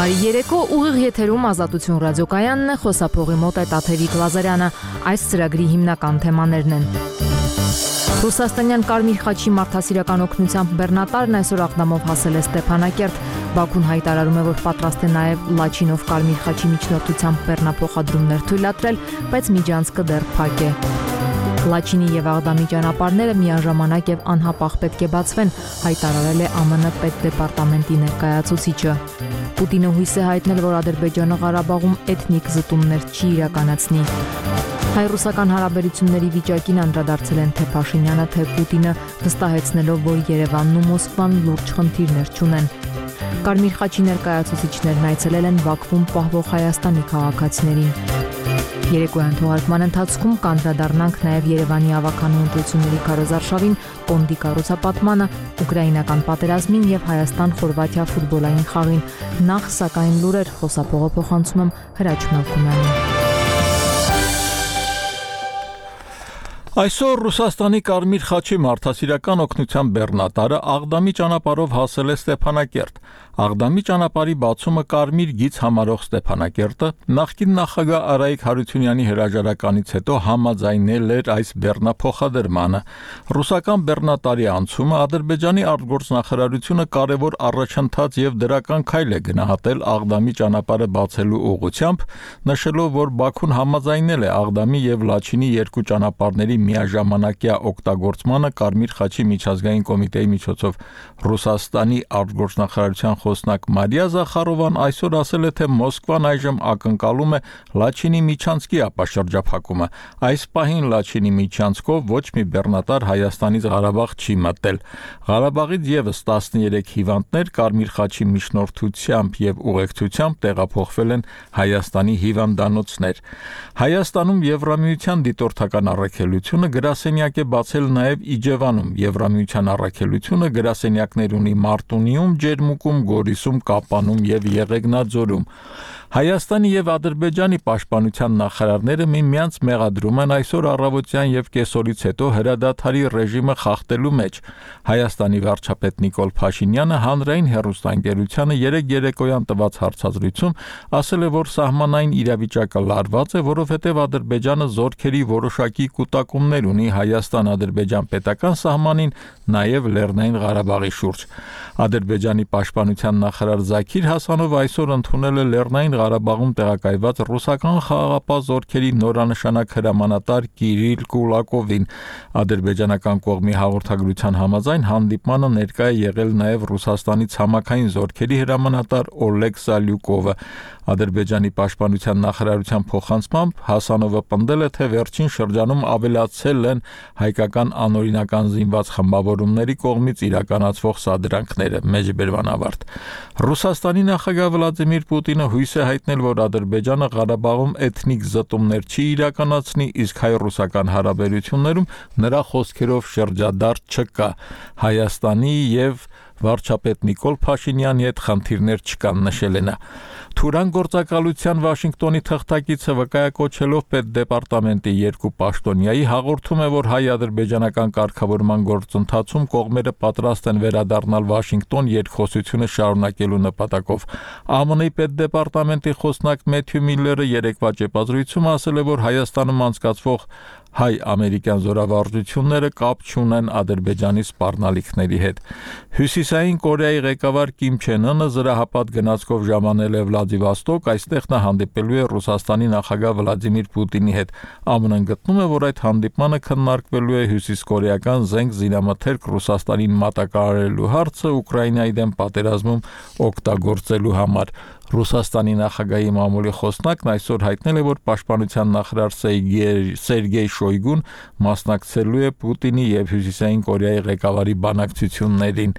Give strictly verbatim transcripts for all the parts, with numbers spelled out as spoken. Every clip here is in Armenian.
Բարի երեկո, ուղիղ եթերում Ազատություն ռադիոկայանն է, խոսափողի մոտ է Տաթևիկ Լազարյանը։ Այս ծրագրի հիմնական թեմաներն են. Ռուսաստանյան Կարմիր խաչի մարդասիրական օգնությամբ բեռնատարն այսօր աղդամով հասել է Ստեփանակերտ։ Բաքուն հայտարարում է, որ պատրաստ է նաև Լաչինով Կարմիր խաչի միջնորդությամբ բեռնափոխադրումներ թույլատրել, բայց միջանցքը դեռ փակ է։ Լաչինի եւ Աղդամի ճանապարհները միաժամանակ եւ անհապաղ պետք է բացվեն, հայտարարել է ԱՄՆ պետդեպարտամենտի ներկայացուցիչը։ Պուտինը հույս է հայտնել, որ Ադրբեջանը Ղարաբաղում էթնիկ զտումներ չի իրականացնի։ Հայ-ռուսական հարաբերությունների վիճակին անդրադարձել են թե Փաշինյանը, թե Պուտինը, վստահեցնելով, որ Երևանն ու Մոսկվան լուրջ խնդիրներ չունեն։ Կարմիր խաչի ներկայացուցիչներն այցելել են Բաքվում պահվող Հայաստանի քաղաքացիներին։ Երեկոյան թողարկման ընթացքում կանդրադառնանք նաև Երևանի ավականու ընտրությունների քարոզարշավին, Պոնդի կառուցապատմանը, ուկրաինական պատերազմին եւ Հայաստան-Խորվաթիա ֆուտբոլային խաղին։ Նախ սակայն լուրեր, խոսափողը փոխանցում եմ Հրաչ Մալքումյանին։ Այսօր Ռուսաստանի Կարմիր խաչի մարդասիրական օգնության բեռնատարը Աղդամի ճանապարհով հասել է Ստեփանակերտ։ Աղդամի ճանապարհի բացումը կարմիր գիծ համարող Ստեփանակերտը նախկին նախագահ Արայիկ Հարությունյանի հրաժարականից հետո համաձայնել էր այս բեռնափոխադրմանը։ Ռուսական բեռնատարի անցումը Ադրբեջանի արտգործնախարարությունը կարևոր առաջընթաց եւ դրական քայլ է գնահատել Աղդամի ճանապարհը բացելու ուղղությամբ, նշելով, որ Բաքուն համաձայնել է Աղդամի եւ Լաչինի երկու ճանապարհների միաժամանակյա օգտագործմանը Կարմիր խաչի միջազգային կոմիտեի միջոցով։ Ռուսաստանի արտգործնախարարության խոսնակ Մարիա Զախարովան այսօր ասել է, թե Մոսկվան այժմ ակնկալում է Լաչինի միջանցքի ապաշրջափակումը։ Այս պահին Լաչինի միջանցքով ոչ մի բեռնատար Հայաստանից Ղարաբաղ չի մտել։ Ղարաբաղից եւս տասներեք հիվանդներ Կարմիր խաչի միջնորդությամբ եւ ուղեկցությամբ տեղափոխվել են Հայաստանի հիվանդանոցներ։ Հայաստանում Եվրամիության դիտորդական առաքելությունը գրասենյակ է բացել նաև Իջևանում։ Եվրամիության առաքելությունը գրասենյակներ ունի Մարտունիում, Ջերմուկում, Գորիսում, Կապանում եւ Եղեգնաձորում։ Հայաստանի եւ Ադրբեջանի պաշտպանության նախարարները միմյանց մեղադրում են այսօր առավոտյան եւ կեսօրից հետո հրադադարի ռեժիմը խախտելու մեջ։ Հայաստանի վարչապետ Նիկոլ Փաշինյանը հանրային հեռուստաընկերությանը երեկ երեկոյան տված հարցազրույցում ասել է, որ սահմանային իրավիճակը լարված է, որովհետեւ Ադրբեջանը զորքերի որոշակի կուտակումներ ունի Հայաստան-Ադրբեջան պետական սահմանին, նաեւ Լեռնային Ղարաբաղի շուրջ։ Ադրբեջանի պաշտպանության նախարար Զաքիր Հասանովը այսօր ընդունել է Լեռնային Ղարաբաղում տեղակայված ռուսական խաղաղապահ զորքերի նորանշանակ հրամանատար Կիրիլ Կուլակովին։ Ադրբեջանական կողմի հաղորդագրության համաձայն հանդիպմանը ներկա է եղել նաև Ռուսաստանի ցամաքային զորքերի հրամանատար Օլեգ Սալյուկովը։ Ադրբեջանի պաշտպանության նախարարության փոխանցմամբ Հասանովը պնդել է, թե վերջին շրջանում ավելացել են հայկական անօրինական զինված խմբավորումների կողմից իրականացվող սադրանքները։ Մեջբերման ավարտ։ Ռուսաստանի նախագահ Վլադիմիր Պուտինը հույս է հայտնել, որ Ադրբեջանը Ղարաբաղում էթնիկ զտումներ չի իրականացնի, իսկ հայ-ռուսական հարաբերություններում նրա խոսքերով շրջադարձ չկա։ Հայաստանի եւ վարչապետ Նիկոլ Փաշինյանի հետ խնդիրներ չկան, նշել է նա։ Թուրան գործակալության Վաշինգտոնի թղթակիցը վկայակոչելով պետդեպարտամենտի երկու պաշտոնյայի հաղորդում է, որ հայ-ադրբեջանական կարգավորման գործընթացում կողմերը պատրաստ են վերադառնալ Վաշինգտոն երկխոսությունը շարունակելու նպատակով։ ԱՄՆ-ի պետդեպարտամենտի խոսնակ Մեթյու Միլլերը երեկվա ճեպազրույցում ասել է, որ Հայաստանում անցկացվող հայ-ամերիկյան զորավարժությունները կապ չունեն Ադրբեջանի սպառնալիքների հետ։ Հյուսիսային Կորեայի ղեկավար Կիմ Չեն Ընը զրահապատ գնացքով ժամանել է Վլադիվոստոկ, այստեղ նա հանդիպելու է Ռուսաստանի նախագահ Վլադիմիր Պուտինի հետ։ ԱՄՆ-ն գտնում է, որ այդ հանդիպմանը քննարկվելու է հյուսիսկորեական զենք զինամթերք Ռուսաստանին մատակարարելու հարցը Ուկրաինայի դեմ պատերազմում օգտագործելու համար։ Ռուսաստանի նախագահի մամուլի խոսնակն այսօր հայտնել է, որ պաշտպանության նախարար Սերգեյ Շոյգուն մասնակցելու է Պուտինի եւ Հյուսիսային Կորեայի ղեկավարի բանակցություններին։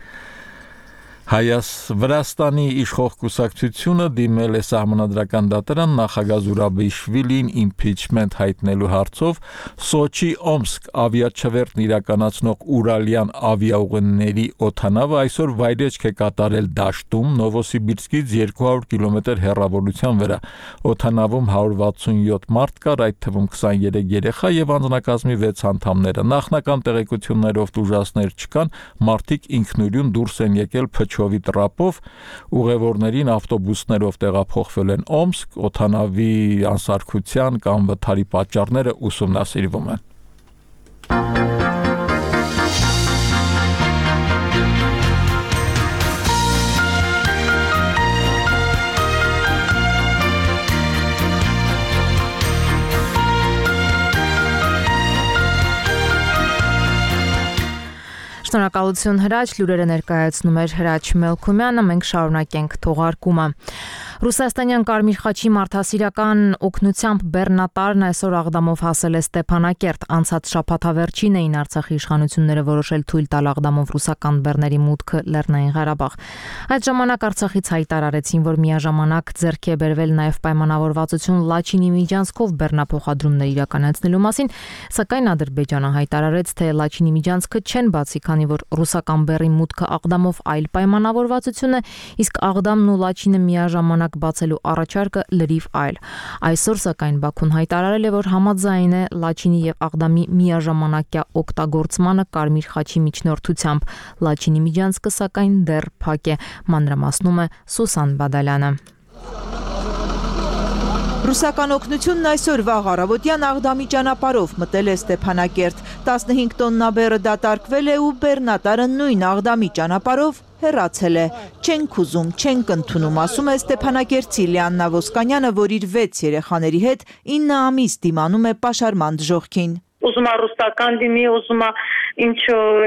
Հայաստանի իշխող կուսակցությունը դիմել է սահմանադրական դատարան նախագահ Զուրաբիշվիլին իմպիչմենտ հայտնելու հարցով։ Սոչի-Օմսկ ավիաչվերթն իրականացնող Ուրալյան ավիաուղիների օդանավը այսօր վայրեջք է կատարել դաշտում Նովոսիբիրսկից երկու հարյուր կիլոմետր հեռավորության վրա։ Օդանավում հարյուր վաթսունյոթ մարդ կար, այդ թվում քսաներեք երեխա եւ անձնակազմի վեց անդամները։ Նախնական տեղեկություններով տուժածներ չկան, մարդիկ ինքնուրույն դուրս են եկել փչով Քրուշչովի տրապով, ուղևորներին ավտոբուսներով տեղափոխվել են Օմսկ, օդանավի անսարքության կամ վթարի պատճառները ուսումնասիրվում են։ Շնորհակալություն Հրաչ, լուրերը ներկայացնում էր Հրաչ Մելքումյանը, մենք շարունակենք թողարկումը։ Ռուսաստանյան Կարմիր խաչի մարդասիրական օգնությամբ բեռնատարն այսօր Աղդամով հասել է Ստեփանակերտ, անցած շաբաթավերջին էին Արցախի իշխանությունները որոշել թույլ տալ Աղդամով ռուսական բեռների մուտքը Լեռնային Ղարաբաղ։ Այդ ժամանակ Արցախից հայտարարեցին, որ միաժամանակ ձեռք է բերվել նաև պայմանավորվածություն Լաչինի միջանցքով բեռնափոխադրումներ իրականացնելու մասին, սակայն Ադրբեջանը հայտարարեց, թե Լաչինի միջանցքը չեն բացի, քանի որ ռուսական բեռի մուտքը Աղդամով այլ պայմանավորվածություն է, իսկ Աղդամն ու Լաչինը միաժամանակ բացելու առաջարկը լրիվ այլ։ Այսօր սակայն Բաքուն հայտարարել է, որ համաձայն է Լաչինի եւ Աղդամի միաժամանակյա օգտագործմանը Կարմիր խաչի միջնորդությամբ։ Լաչինի միջանցքը սակայն դեռ փակ է, մանրամասնում է Սուսան Բադալյանը։ Ռուսական օգնությունն այսօր վաղ առավոտյան Աղդամի ճանապարհով մտել է Ստեփանակերտ, տասնհինգ տոննա բեռը դատարկվել է ու բեռնատարը նույն Աղդամի ճանապարհով հեռացել է։ Չենք ուզում, չենք ընդունում, ասում է Ստեփանակերտցի Լիաննա Ոսկանյանը, որ իր վեց երեխաների հետ ինը ամիս դիմանում է պաշարման դժոխքին։ Ուզում է ռուսական լինի, ուզում է ինչ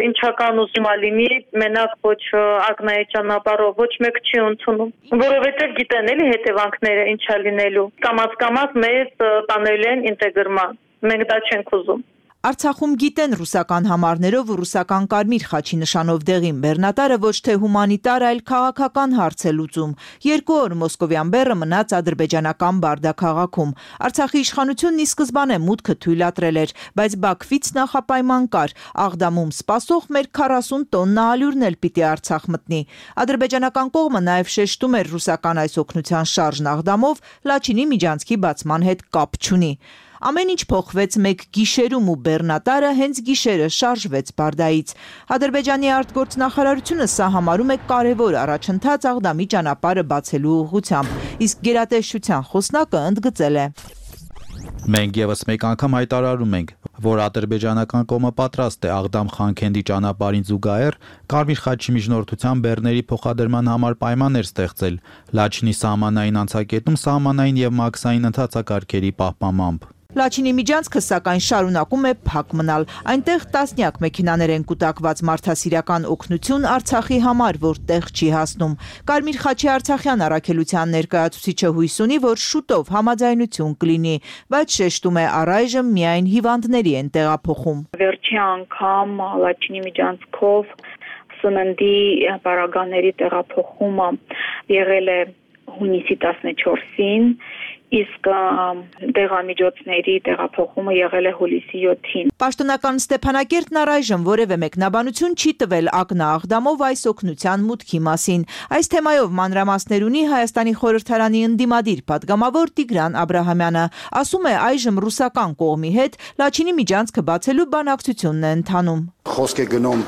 ինչական ուզում է լինի, մենակ ոչ ակնայի ճանապարհով ոչ մեկ չի ընդունում, որովհետև գիտեն էլի հետևանքները ինչա լինելու։ Կամաց-կամաց մեզ տանելու են ինտեգրման, մենք դա չենք ուզում։ Արցախում գիտեն ռուսական համարներով ու ռուսական Կարմիր խաչի նշանով դեղին բեռնատարը ոչ թե հումանիտար, այլ քաղաքական հարց է լուծում։ Երկու օր մոսկովյան բեռը մնաց ադրբեջանական Բարդա քաղաքում։ Արցախի իշխանությունն ի սկզբանե մուտքը թույլատրել էր, բայց Բաքվից նախապայման կար. Աղդամում սպասող մեր քառասուն տոննա ալյուրն էլ պիտի Արցախ մտնի։ Ադրբեջանական կողմը նաև շեշտում էր ռուսական այս օգնության շարժն Աղդամով Լաչինի միջանցքի բացման հետ կապ չունի։ Ամեն ինչ փոխվեց մեկ գիշերում ու բեռնատարը հենց գիշերը շարժվեց Բարդայից։ Ադրբեջանի արտգործնախարարությունը սա համարում է կարևոր առաջընթաց Աղդամի ճանապարհը բացելու ուղղությամբ, իսկ գերատեսչության խոսնակը ընդգծել է. Մենք եւս մեկ անգամ հայտարարում ենք, որ ադրբեջանական կողմը պատրաստ է Աղդամ-Խանքենդի ճանապարհին զուգահեռ Կարմիր խաչի միջնորդությամբ բեռների փոխադրման համար պայմաններ ստեղծել Լաչինի սահմանային անցակետում սահմանային եւ մաքսային ընթացակարգերի պահպանմամբ։ Լաչինի միջանցքը սակայն շարունակում է փակ մնալ։ Այնտեղ տասնյակ մեքենաներ են կուտակված մարդասիրական օգնություն Արցախի համար, որ տեղ չի հասնում։ Կարմիր խաչի արցախյան առաքելության ներկայացուցիչը հույս ունի, որ շուտով համաձայնություն կլինի, բայց շեշտում է առայժմ միայն հիվանդների են տեղափոխում։ Վերջի անգամ Լաչինի միջանցքով սննդի պարագաների տեղափոխումը եղել է հունիսի տասնչորսին, իսկ դեղամիջոցների տեղափոխումը եղել է հուլիսի յոթին։ Պաշտոնական Ստեփանակերտն առայժմ որևէ մեկնաբանություն չի տվել ակնա-Աղդամով այս օգնության մուտքի մասին։ Այս թեմայով մանրամասներ ունի Հայաստանի խորհրդարանի ընդդիմադիր պատգամավոր Տիգրան Աբրահամյանը։ Ասում է, այժմ ռուսական կողմի հետ Լաչինի միջանցքը բացելու բանակցությունն է ընթանում։ Խոսք է գնում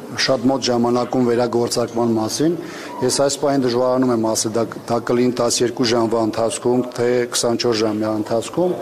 շատ մոտ ժամանակում վերագործարկման մասին։ Ես այս պահին դժվարանում եմ ասել, դա, դա կլինի տասներկու ժամվա ընթացքում, թե քսանչորս ժամվա ընթացքում,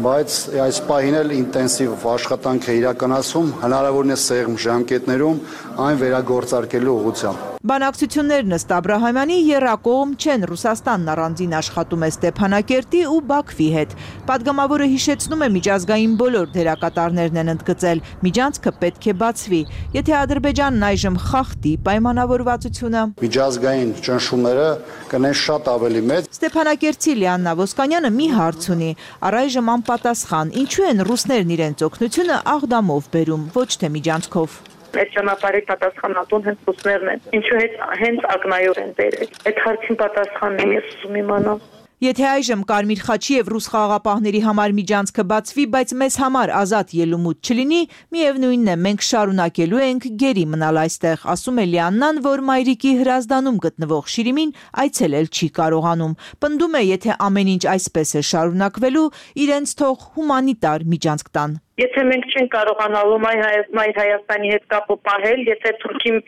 բայց այս պահին էլ ինտենսիվ աշխատանք է իրականացում, հնարավորինս սեղմ ժամկետներում այն վերագործարկելու ուղղությամբ։ Բանակցություններն ըստ Աբրահամյանի եռակողմ չեն, Ռուսաստանն առանձին աշխատում է Ստեփանակերտի ու Բաքվի հետ։ Պատգամավորը հիշեցնում է, միջազգային բոլոր դերակատարներն են ընդգծել, միջանցքը պետք է բացվի։ Եթե Ադրբեջանն այժմ խախտի պայմանավորվածությունը, միջազգային ճնշումները կնեն շատ ավելի մեծ։ Ստեփանակերտցի Լիաննա Ոսկանյանը մի հարց ունի, առայժմ անպատասխան, ինչու են ռուսներն իրենց օգնությունը Աղդամով բերում, ոչ թե միջանցքով։ Այդ ճանապարհի պատասխանատուն հենց ռուսներն են։ Ինչու հետ հենց ակնայով են բերել։ Այդ հարցին պատասխանն եմ ես ուզում իմանալ։ Եթե այժմ Կարմիր խաչի եւ ռուս խաղաղապահների համար միջանցքը բացվի, բայց մեզ համար ազատ ելումուտ չլինի, միևնույնն է, մենք շարունակելու ենք գերի մնալ այստեղ, ասում է Լիաննան, որ մայրիկի Հրազդանում գտնվող Շիրիմին այցելել չի կարողանում։ Պնդում է, եթե ամեն ինչ այսպես է շարունակվելու, իրենց թող հումանիտար միջանցք տան։ Եթե մենք չենք կարողանալու Մայր Հայաստանի հետ կապը պահել, եթե Թուրքին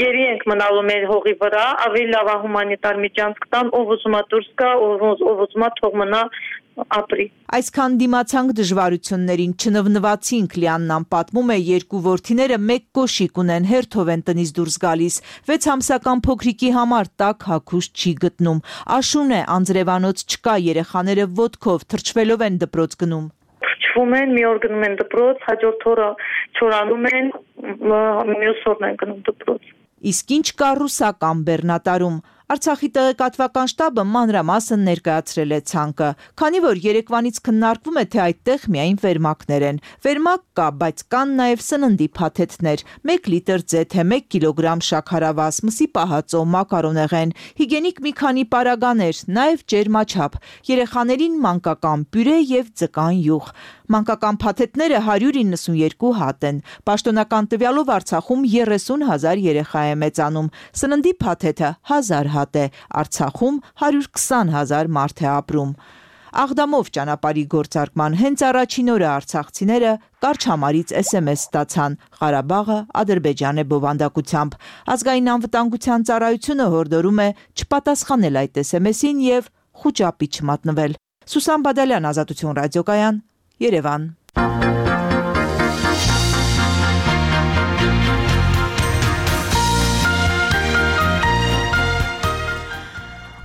գերի ենք մնալու մեր հողի վրա, ավելի լավ է հումանիտար միջանցք տան, ով ուզում է դուրս գա, ով ուզում է թող մնա ապրի։ Այսքան դիմացանք դժվարություններին չնվնվացինք, Լիաննան պատմում է, երկու որդիները մեկ կոշիկ ունեն, հերթով են տնից դուրս գալիս, վեց ամսական փոքրիկի համար տաք հագուստ չի գտնում, աշուն է, անձրևանոց չկա, երեխաները ոտքով թրջվելով են դպրոց գնում։ Թրջվում են, մի օր գնում են դպրոց, հաջորդ օրը չորանում են, մյուս օրն են գնում դպրոց։ Իսկ ինչ կա ռուսական բեռնատարում։ Արցախի տեղեկատվական շտաբը մանրամասն ներկայացրել է ցանկը, քանի որ երեկվանից քննարկվում է, թե այդտեղ միայն վերմակներ են։ Վերմակ կա, բայց կան նաև սննդի փաթեթներ, մեկ լիտր ձեթե, մեկ կիլոգրամ շաքարավազ, մսի պահածո, մակարոնեղեն, հիգենիկ մի քանի պարագաներ, նաև ջերմաչափ, երեխաներին մանկական պյուրե եւ ձկան յուղ։ Մանկական փաթեթները հարյուր իննսունյերկու հատ են։ Պաշտոնական տվյալով Արցախում երեսուն հազար երեխա է մեծանում։ Սննդի փաթեթը հազար հատ է, Արցախում հարյուր քսան հազար մարդ է ապրում։ Աղդամով ճանապարհի գործարկման հենց առաջին օրը արցախցիները կարճ համարից էս էմ էս ստացան. Ղարաբաղը Ադրբեջան է բովանդակությամբ։ Ազգային անվտանգության ծառայությունը հորդորում է չպատասխանել այդ էս էմ էսին եւ խուճապի չմատնվել։ Սուսան Բադալյան, Ազատություն ռադիոկայան, Երևան։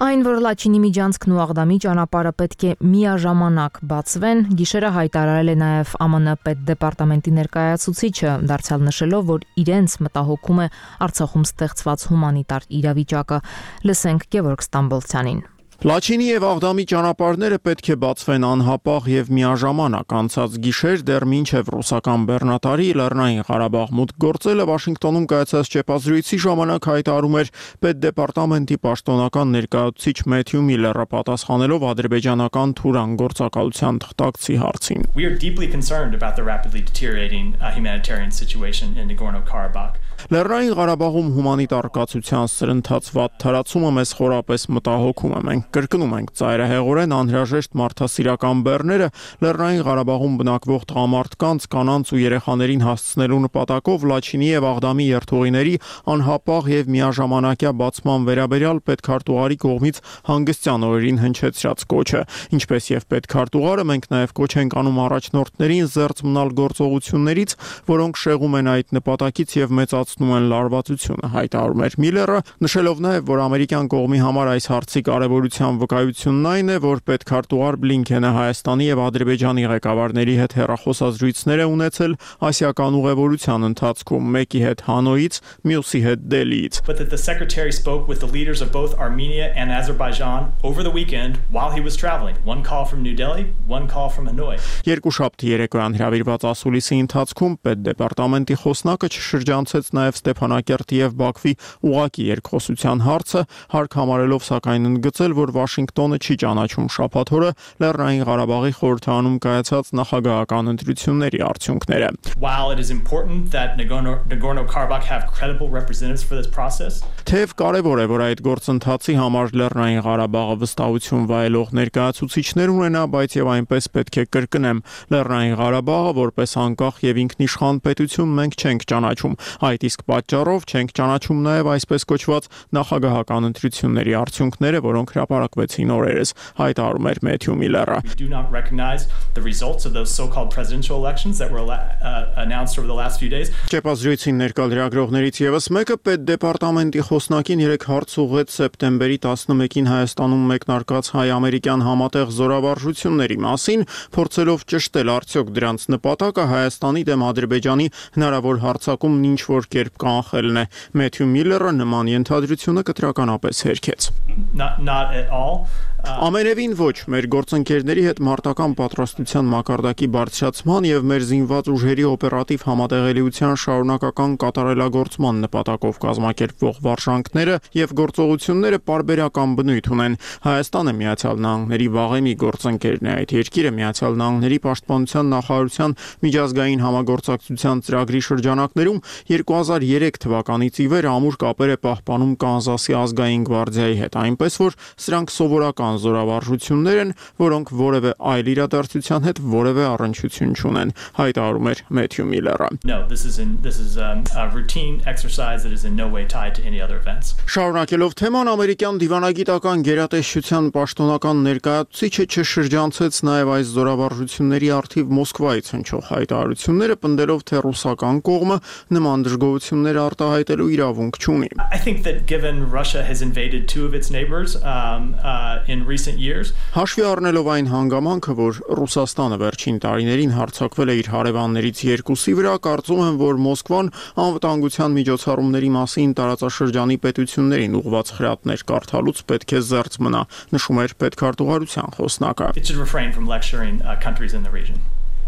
Այն, որ Լաչինի միջանցքն ու Աղդամի ճանապարհը պետք է միաժամանակ բացվեն, գիշերը հայտարարել է նաև Է Մ Ն պետդեպարտամենտի ներկայացուցիչը, դարձյալ նշելով, որ իրենց մտահոգում է Արցախում ստեղծված հումանիտար իրավիճակը։ Լսենք Գևորգ Ստամբոլցյանին։ Լաչինի եւ Աղդամի ճանապարհները պետք է բացվեն անհապաղ եւ միաժամանակ։ Անցած գիշեր դեռ մինչեւ ռուսական բեռնատարի Լեռնային Ղարաբաղ մուտք գործելը Վաշինգտոնում կայացած ճեպազրույցի ժամանակ հայտարարում էր պետդեպարտամենտի պաշտոնական ներկայացուցիչ Մեթյու Միլլերը, պատասխանելով ադրբեջանական Թուրան գործակալության թղթակցի հարցին։ We are deeply concerned about the rapidly deteriorating uh, humanitarian situation in Nagorno-Karabakh. Լեռնային Ղարաբաղում հումանիտար կացության սրընթաց վատ թարացումը մեզ խորապես մտահոգում է։ Մենք կրկնում ենք ծայրահեղորեն անհրաժեշտ մարդասիրական բեռները Լեռնային Ղարաբաղում բնակվող տղամարդկանց, կանանց ու երեխաներին հասցնելու նպատակով Լաչինի եւ Աղդամի երթուղիների անհապաղ եւ միաժամանակյա բացման վերաբերյալ պետքարտուղարի կողմից հանգստյան օրերին հնչեցրած կոչը։ Ինչպես եւ պետքարտուղարը, մենք նաեւ կոչ ենք անում առաջնորդներին զերծ մնալ գործողություններից, որոնք շեղում են այդ նպատակից եւ մեծացնում են լարվածությունը, հայտարարում էր Միլլերը, նշելով նաեւ, որ ամերիկյան կողմի համար այս հարցի կարևորության վկայությունն այն է, որ պետքարտուղար Բլինքենը Հայաստանի եւ Ադրբեջանի ղեկավարների հետ հեռախոսազրույցներ է ունեցել ասիական ուղևորության ընթացքում, մեկի հետ Հանոյից, մյուսի հետ Դելիից։ But that the secretary spoke with the leaders of both Armenia and Azerbaijan over the weekend while he was traveling. One call from New Delhi, one call from Hanoi. Երկուշաբթի երեկոյան հրավիրված ասուլիսի ընթացքում պետդեպարտամենտի խոսնակը չշրջանցեց նաեւ Ստեփանակերտի եւ Բաքվի ուղակի երկխոսության հարցը, հարկ համարելով սակայն ընդգծել, որ Վաշինգտոնը չի ճանաչում շաբաթ օրը Լեռնային Ղարաբաղի խորհրդարանում կայացած նախագահական ընտրությունների արդյունքները։ While it is important that Nagorno-Karabakh have credible representatives for this process, թեև կարևոր է, որ այդ գործընթացի համար Լեռնային Ղարաբաղը վստահություն վայելող ներկայացուցիչներ ունենա, բայց եւ այնպես պետք է կրկնեմ, Լեռնային Ղարաբաղը որպես անկախ եւ ինքնիշխան պետություն մենք չենք ճանաչում։ Այդ իսկ պատճառով չենք ճանաչում նաեւ այսպես կոչված նախագահական ընտրությունների արդյունքները, որոնք հրապարակվեցին օրերս, հայտարարում էր Մեթյու Միլլերը։ we do not recognize the results of those so-called presidential elections that were uh, announced over the last few days. Ճեպազրույցին ներկա լրագրողներից եւս մեկը պետդեպարտամենտի խոսնակին երեք հարց ուղղեց սեպտեմբերի տասնմեկին Հայաստանում մեկնարկած հայ-ամերիկյան համատեղ զորավարժությունների մասին, փորձելով ճշտել արդյոք դրանց նպատակը Հայաստանի դեմ Ադրբեջանի հնարավոր հարձակումն ինչ որ կերպ կանխելն է։ Մեթյու Միլլերը նման ենթադրությունը կտրականապես հերքեց։ Not not at all. Ամենևին ոչ, մեր գործընկերների հետ մարտական պատրաստության մակարդակի բարձրացման եւ մեր զինված ուժերի օպերատիվ համատեղելիության շարունակական կատարելագործման նպատակով կազմակերպվող վարժանքները եւ գործողությունները պարբերական բնույթ ունեն։ Հայաստանը Միացյալ Նահանգների վաղեմի գործընկերն է, այդ երկիրը Միացյալ Նահանգների պաշտպանության նախարարության միջազգային համագործակցության ծրագրի շրջանակներում երկու հազար երեք թվականից ի վեր ամուր կապեր է պահպանում Կանզասի ազգային գվարդիայի հետ, այնպես որ սրանք սովորական ռուսական զորավարժություններ են, որոնք որևէ այլ իրադարձության հետ որևէ առնչություն չունեն, հայտարարում էր Մեթյու Միլլերը։ No, this is in this is um, a routine exercise that is in no way tied to any other events. Շարունակելով թեման, ամերիկյան դիվանագիտական գերատեսչության պաշտոնական ներկայացուցիչը չշրջանցեց նաև այս զորավարժությունների առթիվ Մոսկվայից հնչող հայտարարությունները, պնդելով, թե ռուսական կողմը նման դժգոհություններ արտահայտելու իրավունք չունի։ I think that given Russia has invaded two of its neighbors um, uh, in recent years, հաշվի առնելով այն հանգամանքը, որ Ռուսաստանը վերջին տարիներին հարձակվել է իր հարևաններից երկուսի վրա, կարծում եմ, որ Մոսկվան անվտանգության միջոցառումների մասին տարածաշրջանի պետություններին ուղղված խրատներ կարդալուց պետք է զերծ մնա, նշում էր պետքարտուղարության խոսնակը։ it should refrain from lecturing uh, countries in the region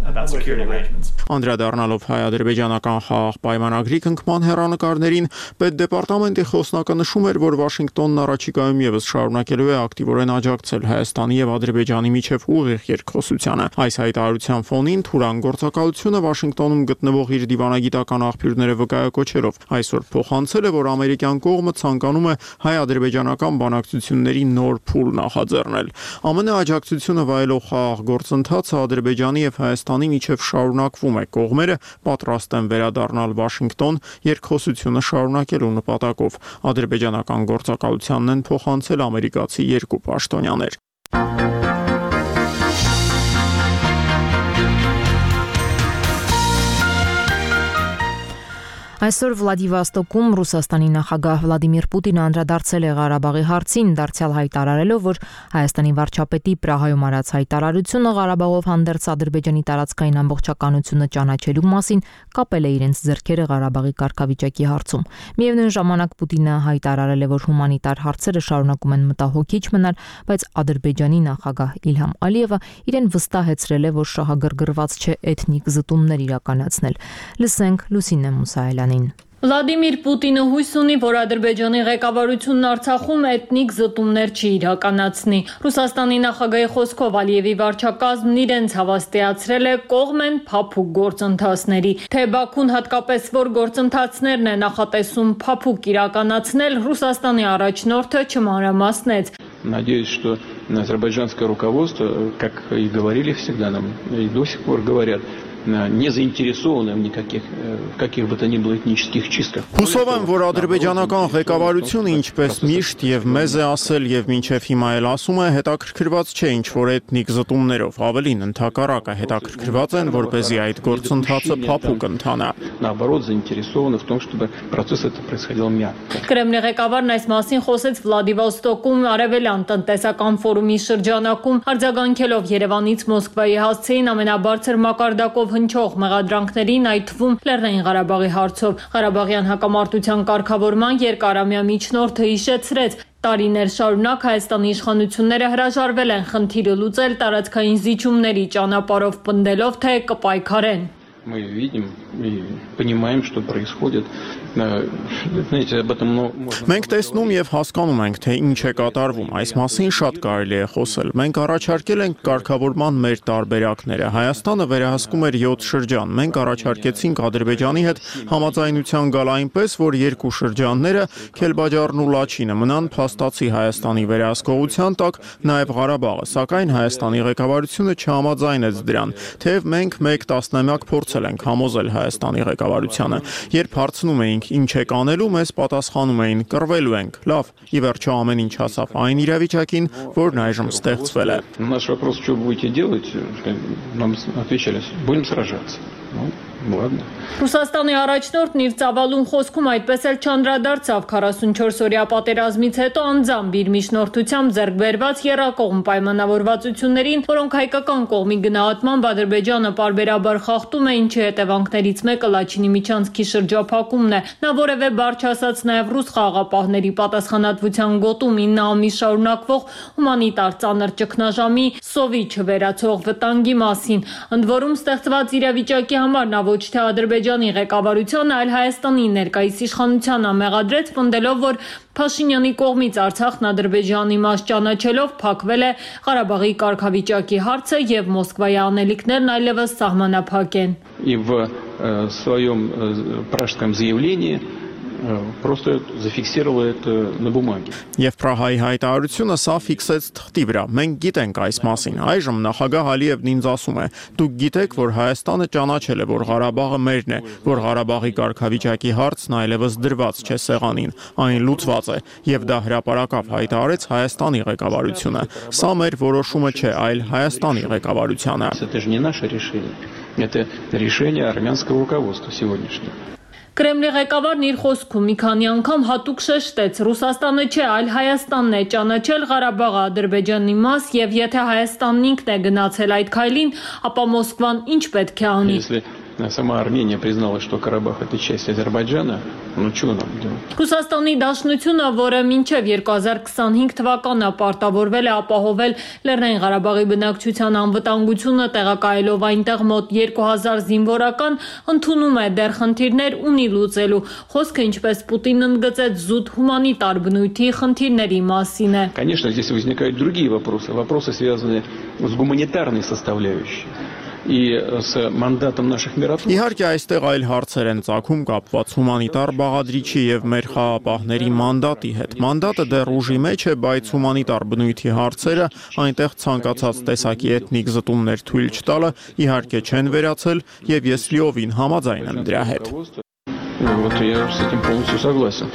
about security arrangements. Անդրադառնալով հայ-ադրբեջանական խաղաղ պայմանագրի կնքման հեռանկարներին, պետդեպարտամենտի խոսնակը նշում էր, որ Վաշինգտոնն առաջիկայում եւս շարունակելու է ակտիվորեն աջակցել Հայաստանի եւ Ադրբեջանի միջև ուղիղ երկխոսությանը։ Այս հայտարարության ֆոնին Թուրան գործակալությունը Վաշինգտոնում գտնվող իր դիվանագիտական աղբյուրները վկայակոչելով այսօր փոխանցել է, որ ամերիկյան կողմը ցանկանում է հայ-ադրբեջանական բանակցությունների նոր փուլ նախաձեռնել։ ԱՄՆ աջակցությունը վայելող խաղաղ գործընթացը Ադրբեջանի եւ Հայաստանի միջև շարունակվում է, կողմերը պատրաստ են վերադառնալ Վաշինգտոն երկխոսությունը շարունակելու նպատակով։ Ադրբեջանական գործակալությանն են փոխանցել ամերիկացի երկու պաշտոնյաներ։ Այսօր Վլադիվոստոկում Ռուսաստանի նախագահ Վլադիմիր Պուտինը անդրադարձել է Ղարաբաղի հարցին, դարձյալ հայտարարելով, որ Հայաստանի վարչապետի Պրահայում արած հայտարարությունը Ղարաբաղով հանդերձ Ադրբեջանի տարածքային ամբողջականությունը ճանաչելու մասին կապել է իրենց ձեռքերը Ղարաբաղի կարգավիճակի հարցում։ Միևնույն ժամանակ Պուտինը հայտարարել է, որ հումանիտար հարցերը շարունակում են մտահոգիչ մնալ, բայց Ադրբեջանի նախագահ Իլհամ Ալիևը իրեն վստահեցրել է, որ շահագրգռված չէ էթնիկ զտումներ իրականացնել։ Լսենք Լուսինե Մուսայելյանին։ Վլադիմիր Պուտինը հույս ունի, որ Ադրբեջանի ղեկավարությունն Արցախում էթնիկ զտումներ չի իրականացնի։ Ռուսաստանի նախագահի խոսքով Ալիևի վարչակազմն իրենց հավաստիացրել է կողմ են փափուկ գործընթացների։ Թե Բաքուն հատկապես որ գործընթացներն է նախատեսում փափուկ իրականացնել, Ռուսաստանի առաջնորդը չմանրամասնեց։ Надеюсь, что азербайджанское руководство, как и говорили всегда нам, и до сих пор говорят, не заинтересованы в никаких в каких бы то ни было этнических чистках. Հուսով եմ, որ ադրբեջանական ղեկավարությունը ինչպես միշտ եւ մեզ է ասել եւ մինչեւ հիմա էլ ասում է, հետաքրքրված չէ ինչ որ էթնիկ զտումներով, ավելին ընդհակառակը հետաքրքրված են, որպեսզի այդ գործընթացը փափուկ ընթանա։ Наоборот, заинтересованы в том, чтобы процесс этот происходил мягко. Կրեմլի ղեկավարն այս մասին խոսեց Վլադիվոստոկում Արևելյան տնտեսական ֆորումի շրջանակում, արձագանքելով Երևանից Մոսկվայի հասցեին ամենաբարձր մակարդակով հնչող մեղադրանքներին, այդ թվում Լեռնային Ղարաբաղի հարցով։ Ղարաբաղյան հակամարտության կարգավորման երկարամյա միջնորդը հիշեցրեց, տարիներ շարունակ Հայաստանի իշխանությունները հրաժարվել են խնդիրը լուծել տարածքային զիջումների ճանապարհով, պնդելով, թե կպայքարեն։ Мы видим и понимаем, что происходит. Знаете, об этом можно. Մենք տեսնում եւ հասկանում ենք, թե ինչ է կատարվում։ Այս մասին շատ կարելի է խոսել։ Մենք առաջարկել ենք կարգավորման մեր տարբերակները։ Հայաստանը վերահսկում էր յոթ շրջան։ Մենք առաջարկեցինք Ադրբեջանի հետ համաձայնության գալ այնպես, որ երկու շրջանները Քելբաջարն ու Լաչինը մնան փաստացի Հայաստանի վերահսկողության տակ, նաեւ Ղարաբաղը, սակայն Հայաստանի ղեկավարությունը չհամաձայնեց դրան, թեև մենք մեկ տասնամյակ փորձել ենք համոզել Հայաստանի ղեկավարությանը։ Երբ հարցնում էինք ինչ եք անելու, մեզ պատասխանում էին կռվելու ենք։ Լավ, ի վերջո ամեն ինչ հասավ այն իրավիճակին, որն այժմ ստեղծվել է։ Наш вопрос, что будете делать, нам отвечали, будем сражаться. Ну, ладно. Ռուսաստանի առաջնորդն իր ծավալուն խոսքում այդպես էլ չանդրադարձավ քառասունչորս օրյա պատերազմից հետո անձամբ իր միջնորդությամբ ձեռք բերված եռակողմ պայմանավորվածություններին, որոնք հայկական կողմի գնահատմամբ Ադրբեջանը պարբերաբար խախտում է, ինչի հետևանքներից մեկը Լաչինի միջանցքի շրջափակումն է։ Նա որևէ բառ չասաց նաև ռուս խաղաղապահների պատասխանատվության գոտում ինը ամիս շարունակվող հումանիտար ծանր ճգնաժամի սովի չվերացող վտանգի մասին։ Ընդ որում ստեղծված իրավիճակի համար նա ոչ թե Ադրբեջանի ղեկավարությանը, այլ Հայաստանի ներկայիս իշխանությանը մեղադրեց, պնդելով, որ Փաշինյանի կողմից Արցախն Ադրբեջանի մաս ճանաչելով փակվել է Ղարաբաղի կարգավիճակի հարցը եւ Մոսկվայի անելիքներն այլևս սահմանափակ են։ И в своем пражском заявлении просто зафиксировала это на бумаге. Եվ Պրահայի հայտարարությունը սա ֆիքսեց թղթի վրա։ Մենք գիտենք այս մասին։ Այժմ նախագահ Ալիևն ինձ ասում է. դուք գիտեք, որ Հայաստանը ճանաչել է, որ Ղարաբաղը մերն է, որ Ղարաբաղի կարգավիճակի հարցն այլևս դրված չէ սեղանին, այն լուծված է, եւ դա հրապարակավ հայտարարեց Հայաստանի ղեկավարությունը։ Սա մեր որոշումը չէ, այլ Հայաստանի ղեկավարությանը։ Это же не наше решение. Это решение армянского руководства сегодняшнего. Կրեմլի ղեկավարն իր խոսքում մի քանի անգամ հատուկ շեշտեց. Ռուսաստանը չէ, այլ Հայաստանն է ճանաչել Ղարաբաղը Ադրբեջանի մաս, եւ եթե Հայաստանն ինքն է գնացել այդ քայլին, ապա Մոսկվան ինչ պետք է անի։ Сама Армения признала, что Карабах это часть Азербайджана, ну что нам делать? Ռուսաստանի Դաշնությունը, որը մինչև երկու հազար քսանհինգ թվականը պարտավորվել է ապահովել Լեռնային Ղարաբաղի բնակչության անվտանգությունը, տեղակայելով այնտեղ մոտ երկու հազար զինվորական, ընդունում է դեռ խնդիրներ ունի լուծելու։ Խոսքը, ինչպես Պուտինն ընդգծեց, զուտ հումանիտար բնույթի խնդիրների մասին է։ Конечно, здесь возникают другие вопросы, вопросы, связанные с гуманитарной составляющей. И с мандатом наших миротворцев. Իհարկե այստեղ այլ հարցեր են ծագում կապված հումանիտար բաղադրիչի եւ մեր խաղապահների մանդատի հետ։ Մանդատը դեռ ուժի մեջ է, բայց հումանիտար բնույթի հարցերը այնտեղ ցանկացած տեսակի էթնիկ զտումներ թույլ չտալը իհարկե չեն վերացել եւ ես լիովին համաձայն եմ դրա հետ։ Вот я с этим полностью согласен.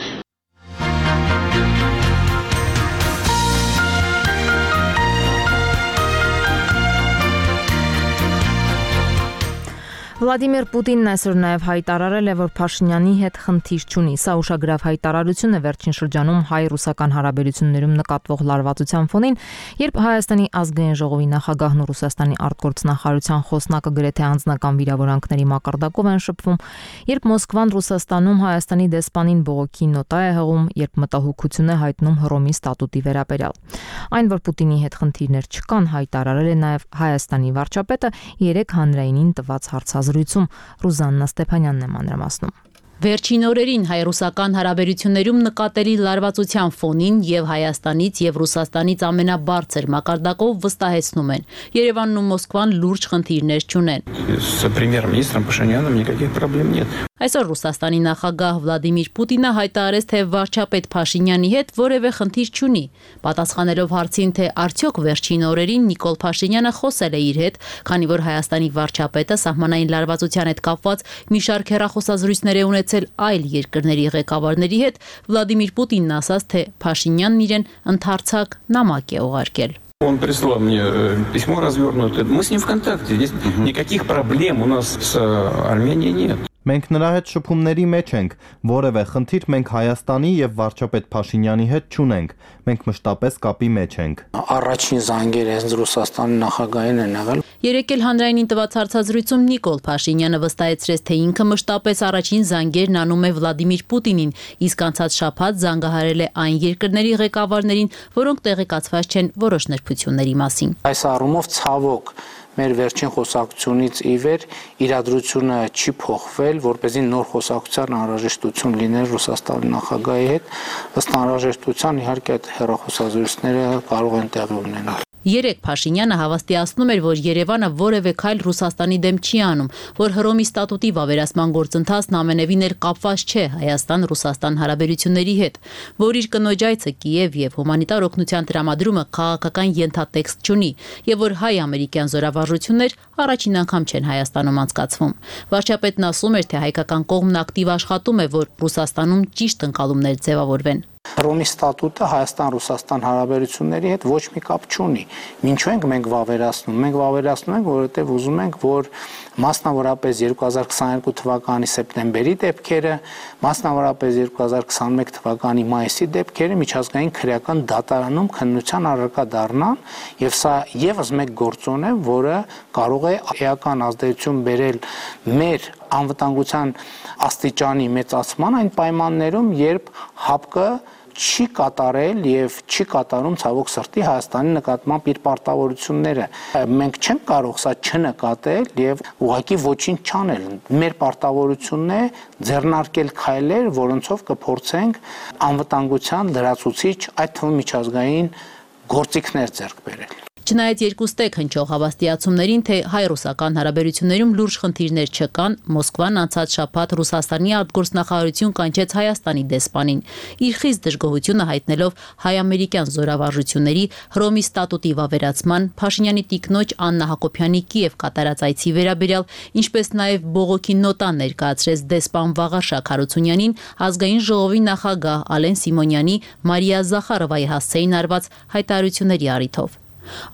Վլադիմիր Պուտինն այսօր նաև հայտարարել է, որ Փաշինյանի հետ խնդիր չունի։ Սա ուշագրավ հայտարարություն է վերջին շրջանում հայ-ռուսական հարաբերություններում նկատվող լարվածության ֆոնին, երբ Հայաստանի ազգային ժողովի նախագահն ու Ռուսաստանի արտգործնախարարության խոսնակը գրեթե անձնական վիրավորանքների մակարդակով են շփվում, երբ Մոսկվան Ռուսաստանում Հայաստանի դեսպանին բողոքի նոտա է հղում, երբ մտահոգություն է հայտնում Հռոմի ստատուտի վերաբերյալ։ Այն, որ Պուտինի հետ խնդիրներ չկան, հայտարարել է նաև Հայաստանի վարչապետը երեք հանրայինին տված հարցազրույցում։ Ռուզաննա Ստեփանյանն է մանրամասնում։ Վերջին օրերին հայ-ռուսական հարաբերություններում նկատելի լարվածության ֆոնին եւ Հայաստանից եւ Ռուսաստանից ամենաբարձր մակարդակով վստահեցնում են. Երևանն ու Մոսկվան լուրջ խնդիրներ չունեն։ С премьер-министром Пашиняном никаких проблем нет. Այսօր Ռուսաստանի նախագահ Վլադիմիր Պուտինը հայտարարեց, թե վարչապետ Փաշինյանի հետ որևէ խնդիր չունի։ Պատասխանելով հարցին, թե արդյոք վերջին օրերին Նիկոլ Փաշինյանը խոսել է իր հետ, քանի որ Հայաստանի վարչապետը սահմանային լարվածության հետ կապված մի շարք հեռախոսազրույցներ է ունեցել այլ երկրների ղեկավարների հետ, Վլադիմիր Պուտինն ասաց, թե Փաշինյանն իրեն ընդհանրցակ նամակ է ուղարկել։ Он прислал мне письмо развернутое. Мы с ним в контакте. Здесь никаких проблем у нас с Арменией нет. Մենք նրա հետ շփումների մեջ ենք, որևէ խնդիր մենք Հայաստանի եւ վարչապետ Փաշինյանի հետ չունենք։ Մենք մշտապես կապի մեջ ենք։ Առաջին զանգերը հենց Ռուսաստանի նախագահին են եղել։ Երեկ էլ հանրայինին տված հարցազրույցում Նիկոլ Փաշինյանը վստահեցրեց, թե ինքը մշտապես առաջին զանգերն անում է Վլադիմիր Պուտինին, իսկ անցած շաբաթ զանգահարել է այն երկրների ղեկավարներին, որոնք տեղեկացված չեն որոշ նրբությունների մասին։ Այս առումով ցավոք մեր վերջին խոսակցությունից ի վեր իրադրությունը չի փոխվել, որպեսզի նոր խոսակցության անհրաժեշտություն լիներ Ռուսաստանի նախագահի հետ, ըստ անհրաժեշտության իհարկե այդ հեռախոսազրույցները կարող են տեղի ունենալ։ Երեկ Փաշինյանը հավաստիացնում էր, որ Երևանը որևէ քայլ Ռուսաստանի դեմ չի անում, որ Հռոմի ստատուտի վավերացման գործընթացն ամենևին էլ կապված չէ Հայաստան-Ռուսաստան հարաբերությունների հետ, որ իր կնոջ այցը Կիև եւ հումանիտար օգնության տրամադրումը քաղաքական ենթատեքստ չունի եւ որ հայ-ամերիկյան զորավարժություններ առաջին անգամ չեն Հայաստանում անցկացվում։ Վարչապետն ասում էր, թե հայկական կողմն ակտիվ աշխատում է, որ Ռուսաստանում ճիշտ ընկալումներ ձևավորվեն։ Հռոմի ստատուտը Հայաստան-Ռուսաստան հարաբերությունների հետ ոչ մի կապ չունի։ Ինչու ենք մենք վավերացնում։ Մենք վավերացնում ենք, որովհետև ուզում ենք, որ մասնավորապես երկու հազար քսաներկու թվականի սեպտեմբերի դեպքերը, մասնավորապես երկու հազար քսանմեկ թվականի մայիսի դեպքերը միջազգային քրեական դատարանում քննության առարկա դառնան, եւ սա եւս մեկ գործոն է, որը կարող է էական ազդեցություն բերել մեր անվտանգության աստիճանի մեծացման այն պայմաններում, երբ ՀԱՊԿ չի կատարել եւ չի կատարում ցավոք սրտի Հայաստանի նկատմամբ իր պարտավորությունները։ Մենք չենք կարող սա չնկատել եւ ուղղակի ոչինչ չանել։ Մեր պարտավորությունն է ձեռնարկել քայլեր, որոնցով կփորձենք անվտանգության լրացուցիչ, այդ թվում միջազգային գործիքներ ձեռք բերել։ Չնայած երկուստեք հնչող հավաստիացումներին, թե հայ-ռուսական հարաբերություններում լուրջ խնդիրներ չկան, Մոսկվան անցած շաբաթ Ռուսաստանի արտգործնախարարություն կանչեց Հայաստանի դեսպանին, իր խիստ դժգոհությունը հայտնելով հայ-ամերիկյան զորավարժությունների Հռոմի ստատուտի վավերացման, Փաշինյանի տիկնոջ Աննա Հակոբյանի Կիև կատարած այցի վերաբերյալ, ինչպես նաև բողոքի նոտա ներկայացրեց դեսպան Վաղարշակ Հարությունյանին, ազգային ժողովի նախագահ Ալեն Սիմոնյանի Մարիա Զախարովայի հասցեին արված հայտարարությունների առիթով։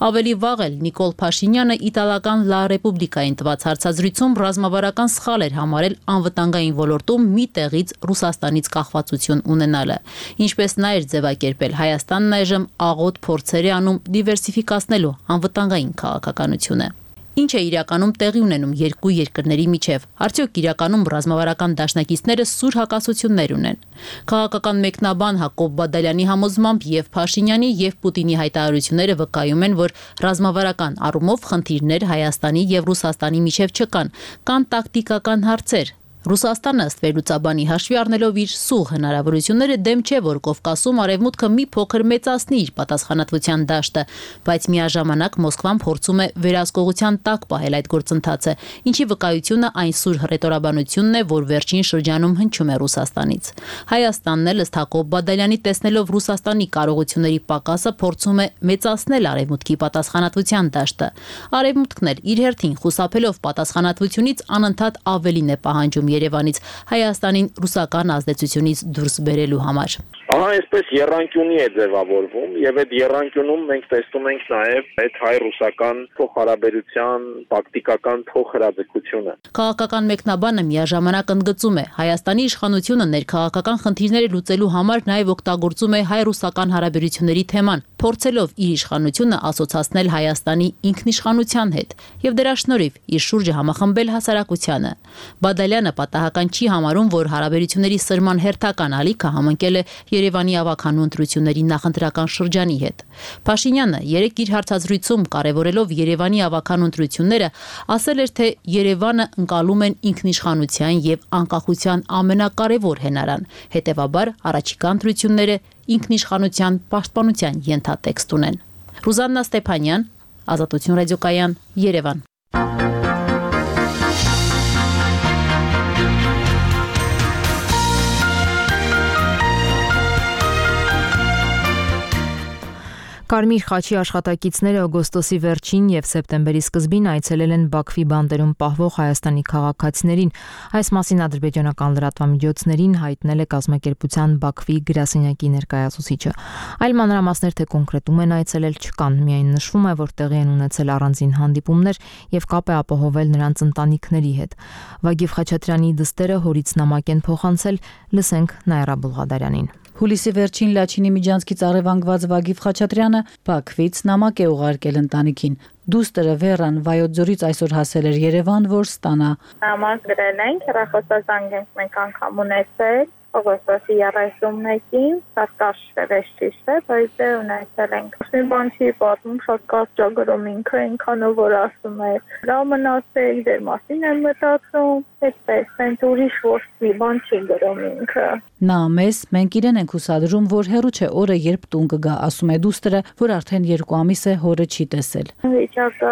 Ավելի վաղ էլ Նիկոլ Փաշինյանը իտալական Լա Ռեպուբլիկային տված հարցազրույցում ռազմավարական սխալ էր համարել անվտանգային ոլորտում մի տեղից Ռուսաստանից կախվածություն ունենալը, ինչպես նա էր ձևակերպել Հայաստանն այժմ աղոտ փորձեր է անում դիվերսիֆիկացնելու անվտանգային քաղաքականությունը։ Ինչ է իրականում տեղի ունենում երկու երկրների միջև։ Արդյոք իրականում ռազմավարական դաշնակիցները սուր հակասություններ ունեն։ Քաղաքական մեկնաբան Հակոբ Բադալյանի համոզմամբ եւ Փաշինյանի եւ Պուտինի հայտարարությունները վկայում են, որ ռազմավարական առումով խնդիրներ Հայաստանի եւ Ռուսաստանի միջև չկան, կան տակտիկական հարցեր։ Ռուսաստանը ըստ վերլուծաբանի հաշվի առնելով իր սուղ հնարավորությունները դեմ չէ, որ Կովկասում արևմուտքը մի փոքր մեծացնի իր պատասխանատվության դաշտը, բայց միաժամանակ Մոսկվան փորձում է վերահսկողության տակ պահել այդ գործընթացը, ինչի վկայությունը այն սուր հռետորաբանությունն է, որ վերջին շրջանում հնչում է Ռուսաստանից։ Հայաստանն էլ ըստ Հակոբ Բադալյանի տեսնելով Ռուսաստանի կարողությունների պակասը փորձում է մեծացնել արևմուտքի պատասխանատվության դաշտը։ Արևմուտքն էլ իր հերթին խուսափելով պատասխանատվությունից անընդհատ ավելին է պահանջում Երևանից Հայաստանին ռուսական ազդեցությունից դուրս բերելու համար։ Ահա այսպես եռանկյունի է ձևավորվում եւ այդ եռանկյունում մենք տեսնում ենք նաեւ այդ հայ-ռուսական փոխհարաբերության տակտիկական փոխհրաձգությունը։ Քաղաքական մեկնաբանը միաժամանակ ընդգծում է Հայաստանի իշխանությունը ներքաղաքական խնդիրները լուծելու համար նաեւ օգտագործում է հայ-ռուսական հարաբերությունների թեման, փորձելով իր իշխանությունը ասոցացնել Հայաստանի ինքնիշխանության հետ եւ դրա շնորհիվ իր շուրջը համախմբել հասարակությանը։ Բադալյանը պատահական չի համարում, որ հարաբերությունների սրման հերթական ալիքը համընկել է Երևանի ավականու ընտրությունների նախընտրական շրջանի հետ։ Փաշինյանը երեկ իր հարցազրույցում կարևորելով Երևանի ավականու ընտրությունները ասել էր, թե Երևանը ընկալում են ինքնիշխանության եւ անկախության ամենակարևոր հենարան, հետեւաբար առաջիկա ընտրությունները ինքնիշխանության պաշտպանության ենթատեքստ ունեն։ Ռուզաննա Ստեփանյան, Ազատություն ռադիոկայան, Երևան։ Կարմիր խաչի աշխատակիցները օգոստոսի վերջին եւ սեպտեմբերի սկզբին այցելել են Բաքվի բանտերում պահվող Հայաստանի քաղաքացիներին։ Այս մասին ադրբեջանական լրատվամիջոցներին հայտնել է կազմակերպության Բաքվի գրասենյակի ներկայացուցիչը։ Այլ մանրամասներ թե կոնկրետում են այցելել չկան, միայն նշվում է, որ տեղի են ունեցել առանձին հանդիպումներ եւ կապ է ապահովել նրանց ընտանիքների հետ։ Վագիվ Խաչատրյանի դստերը հորից նամակ են փոխանցել, լսենք Նայրա Բուլղադարյանին։ Հուլիսի վերջին Լաչինի Միջանցքից առևանգված Վագիվ Խաչատրյանը Բաքվից նամակ է ուղարկել ընտանիքին։ Դուստրը Վերան Վայոց-ձորից այսօր հասել էր Երևան, որ ստանա։ Նամակ գրել ենք, հեռախոսազանգ ենք մենք անգամ ունեցել, օգոստոսի երեսունմեկին, շատ կարճ է, ճիշտ է, բայց դե ունեցել ենք։ Մի բան չի պատմում, շատ կարճ գրում ինքը, այնքանով որ ասում է, լավ մնացել, դեր մասին եմ մտածում, այդպես, այնց ուրիշ ոչ բան չի գրում ինքը։ Նա մեզ, մենք իրեն ենք հուսադրում, որ հեռու չէ օրը, երբ տուն կգա, ասում է դուստրը, որ արդեն երկու ամիս է հորը չի տեսել։ Վիճակը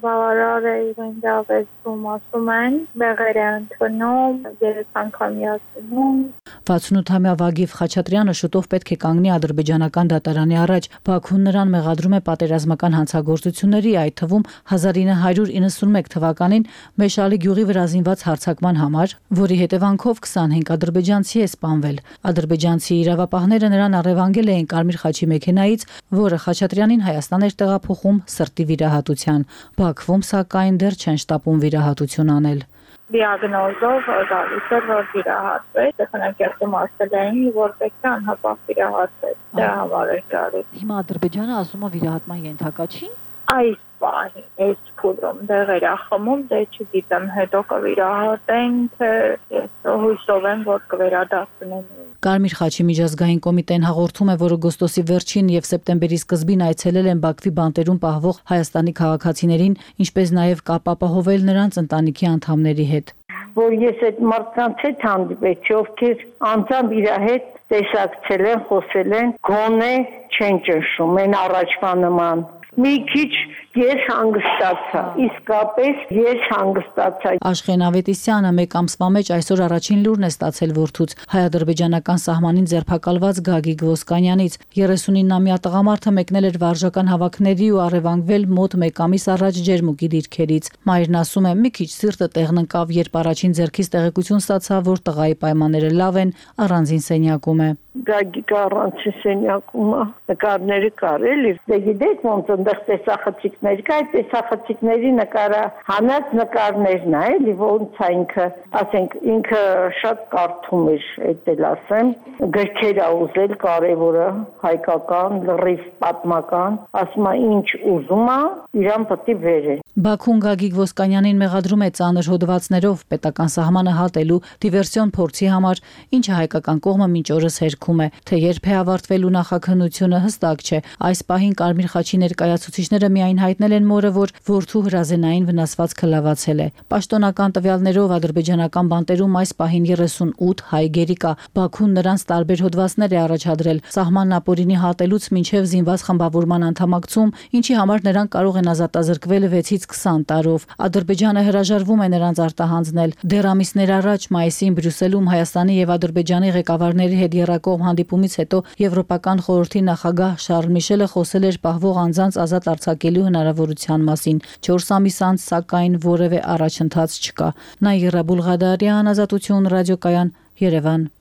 բավարար է, իրեն դավեցում, ասում են, բեղեր է ընդունում, երեք անգամ միացնում։ վաթսունութամյա Վագիվ Խաչատրյանը շուտով պետք է կանգնի ադրբեջանական դատարանի առաջ։ Բաքուն նրան մեղադրում է պատերազմական հանցագործությունների, այդ թվում հազար ինը հարյուր իննսունմեկ թվականին Մեշալի գյուղի վրա զինված հարձակման համար, որի հետևանքով քսանհինգ ադրբեջանցի է սպանվել։ Ադրբեջանցի իրավապահները նրան առևանգել էին Կարմիր խաչի մեքենայից, որը Խաչատրյանին Հայաստան էր տեղափոխում սրտի վիրահատության։ Բաքվում սակայն դեռ չեն շտապում վիրահատություն անել։ Դիագնոզով գալիս էր, որ վիրահատվեց, տեխնիկերում ասել էին, որ պետք է անհապաղ վիրահատվեց, դա համար էր գալիս։ Հիմա Ադրբեջանը ասում է վիրահատման ենթակա չի։ Այս բանի, այս փուլում դեղեր է խմում, դե չգիտեմ, հետո կվիրահատեն, թե ես հույսով եմ, որ կվերադասնեն։ Կարմիր խաչի միջազգային կոմիտեն հաղորդում է, որ օգոստոսի վերջին եւ սեպտեմբերի սկզբին այցելել են Բաքվի բանտերում պահվող Հայաստանի քաղաքացիներին, ինչպես նաեւ կապ ապահովել նրանց ընտանիքի անդամների հետ։ Որ ես այդ մարդկանց հետ հանդիպեցի, ովքեր անձամբ իր հետ տեսակցել են, խոսել են, գոնե չեն ճնշում, են առաջվա նման։ մի քիչ ես հանգստացա, իսկապես ես հանգստացա։ Աշխեն Ավետիսյանը մեկ ամսվա մեջ այսօր առաջին լուրն է ստացել որդուց, հայ-ադրբեջանական սահմանին ձերբակալված Գագիկ Ոսկանյանից։ երեսունինամյա տղամարդը մեկնել էր վարժական հավաքների ու առևանգվել մոտ մեկ ամիս առաջ ջերմուկի դիրքերից։ Մայրն ասում է՝ մի քիչ սիրտը տեղն ընկավ, երբ առաջին ձեռքից տեղեկություն ստացա, որ տղայի պայմանները լավ են, առանձին սենյակում է։ Գագիկը առանցի սենյակում է, նկարները կար էլի, դե գիտեք ոնց ընդեղ տեսախցիկներ կա, այդ տեսախցիկների նկարա հանած նկարներն է, էլի ոնց է ինքը, ասենք ինքը շատ կարդում էր, այդ էլ ասեմ, գրքեր ա ուզել կարևորը, հայկական, լրիվ պատմական, ասում է ինչ ուզում է, իրան պետք է բերեն։ Բաքուն Գագիկ Ոսկանյանին մեղադրում է ծանր հոդվածներով պետական սահմանը հատելու դիվերսիոն փորձի համար, ինչը հայկական կողմը մինչ օրս հերքում է, թե երբ է ավարտվելու նախաքննությունը հստակ չէ։ Այս պահին Կարմիր խաչի ներկայացուցիչները միայն հայտնել են մորը, որ որդու հրազենային վնասվածքը լավացել է։ Պաշտոնական տվյալներով ադրբեջանական բանտերում այս պահին երեսունութ հայ գերի կա։ Բաքուն նրանց տարբեր հոդվածներ է առաջադրել սահմանն ապօրինի հատելուց մինչև զինված խմբավորման անդամակցում, ինչի համար նրանք կարող են ազատազրկվել վեցից քսան տարով։ Ադրբեջանը հրաժարվում է նրանց արտահանձնել։ Դեռ ամիսներ առաջ մայիսին Բրյուսելում Հայաստանի եւ Ադրբեջանի ղեկավարների հետ եռակողմ հանդիպումից հետո Եվրոպական խորհրդի նախագահ Շարլ Միշելը խոսել էր պահվող անձանց ազատ արձակելու հնարավորության մասին։ չորս ամիս անց, սակայն, որևէ առաջընթաց չկա։ Նաիրա Բուլղադարյան, Ազատություն ռադիոկայան, Երևան։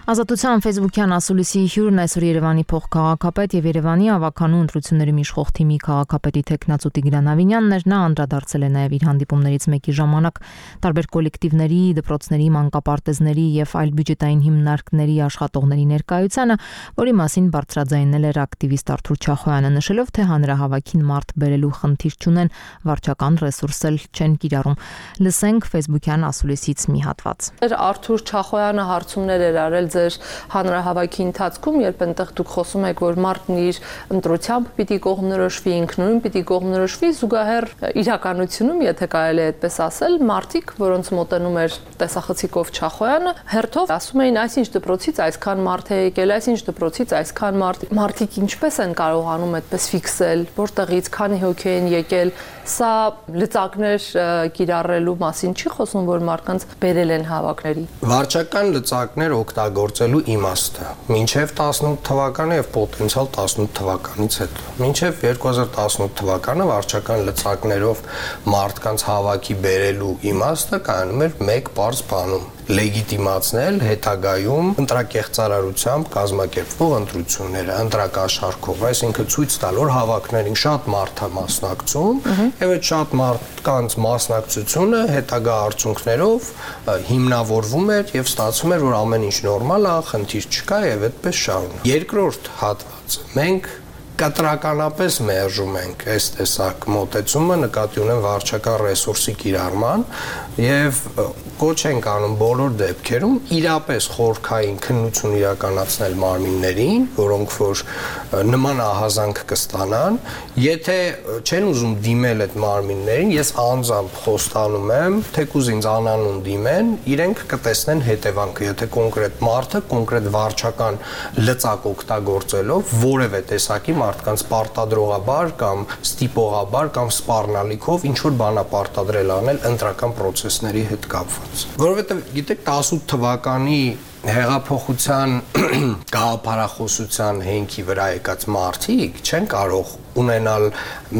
Ազատության Facebook-յան ասուլիսի հյուրն այսօր Երևանի փոխքաղաքապետ եւ Երևանի ավականու ընտրությունների միջխող թիմի քաղաքապետի տեխնացու Տիգրան Ավինյանն էր, նա անդրադարձել է նաեւ իր հանդիպումներից մեկի ժամանակ տարբեր կոլեկտիվների, դպրոցների, մանկապարտեզների եւ այլ բյուջետային հիմնարկների աշխատողների ներկայությանը, որի մասին բարձրաձայնել էր ակտիվիստ Արթուր Չախոյանը, նշելով, թե հանրահավաքին մարդ բերելու խնդիր չունեն, վարչական ռեսուրս էլ չեն կիրառում։ Լսենք Facebook-յան ասուլիսից մի հատված։ Արթուր Չախոյանը հարցումներ էր արել հանրահավաքի ընթացքում, երբ այնտեղ դուք խոսում եք, որ մարդն իր ընտրությամբ պիտի կողմնորոշվի, ինքնուրույն պիտի կողմնորոշվի, զուգահեռ իրականությունում, եթե կարելի է այդպես ասել, մարդիկ, որոնց մոտենում էր տեսախցիկով Չախոյանը, հերթով ասում էին, այսինչ դպրոցից այսքան մարդ է եկել, այսինչ դպրոցից այսքան մարդ, մարդիկ ինչպես են կարողանում այդպես ֆիքսել, որտեղից, քանի հոգի են եկել, սա լծակներ կիրառելու մասին չի խոսում, որ մարդկանց բերել են հավաքների։ Վարչական լծակներ օգտագործելու իմաստը մինչև տասնութ թվականը եւ պոտենցիալ տասնութ թվականից հետո։ Մինչև երկու հազար տասնութ թվականը վարչական լծակներով մարդկանց հավաքի բերելու իմաստը կայանում էր մեկ պարզ բանում՝ լեգիտիմացնել հետագայում ընտրակեղծարարությամբ կազմակերպվող ընտրությունները, ընտրակաշառքով, այսինքն ցույց տալ, որ հավաքներին շատ մարդ է մասնակցում, եւ այդ շատ մարդկանց մասնակցությունը հետագա արդյունքներով հիմնավորվում էր եւ ստացվում էր, որ ամեն ինչ նորմալ է, խնդիր չկա եւ այդպես շարունակ։ Երկրորդ հատվածը մենք կտրականապես մերժում ենք այս տեսակ մոտեցումը, նկատի ունեն վարչական ռեսուրսի կիրառման եւ կոչ ենք անում բոլոր դեպքերում իրապես խորքային քննություն իրականացնել մարմիններին, որոնք որ նման ահազանգ կստանան, եթե չեն ուզում դիմել այդ մարմիններին, ես անձամբ խոստանում եմ, թեկուզ ինձ անանուն դիմեն, իրենք կտեսնեն հետևանքը, եթե կոնկրետ մարդը կոնկրետ վարչական լծակ օգտագործելով որևէ տեսակի մարդկանց պարտադրողաբար կամ ստիպողաբար կամ սպառնալիքով ինչ որ բան պարտադրել անել ընտրական պրոցեսների հետ կապված։ Որովհետև գիտեք տասնութ թվականի հեղափոխության գաղափարախոսության հենքի վրա եկած մարդիկ չեն կարող ունենալ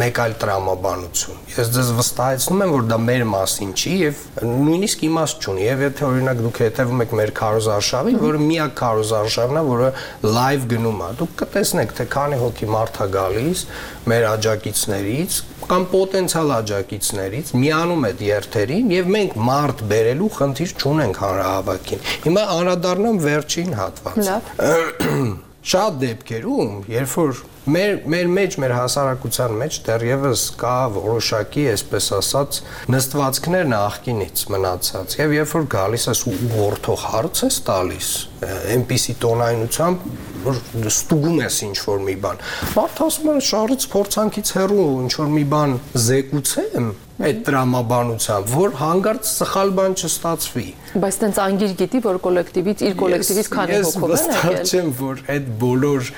մեկ այլ տրամաբանություն։ Ես ձեզ վստահեցնում եմ, որ դա մեր մասին չի եւ նույնիսկ իմաստ չունի։ Եվ եթե օրինակ դուք հետևում եք մեր քարոզարշավին, որը միակ քարոզարշավն է, որը լայվ գնում է, դուք կտեսնեք, թե քանի հոգի մարդ է գալիս մեր աջակիցներից կամ պոտենցիալ աջակիցներից, միանում այդ երթերին եւ մենք մարդ բերելու խնդիր չունենք հանրահավաքին։ Հիմա անդրադառնամ վերջին հատվածին։ Շատ դեպքերում, երբ որ մեր մեր մեջ, մեր հասարակության մեջ դեռևս կա որոշակի, այսպես ասած, նստվածքներ նախկինից մնացած, եւ երբ որ գալիս ես ու ուղղորդող հարց ես տալիս, այնպիսի տոնայնությամբ, որ ստուգում ես ինչ-որ մի բան։ Մարդ ասում է շարից փորձանքից հեռու ինչ-որ մի բան զեկուցեմ այդ տրամաբանությամբ, որ հանգարց սխալ բան չստացվի։ Բայց տենց անգիր գիտի, որ կոլեկտիվից, իր կոլեկտիվից քանի հոգով են եկել։ Ես վստահ չեմ, որ այդ բոլոր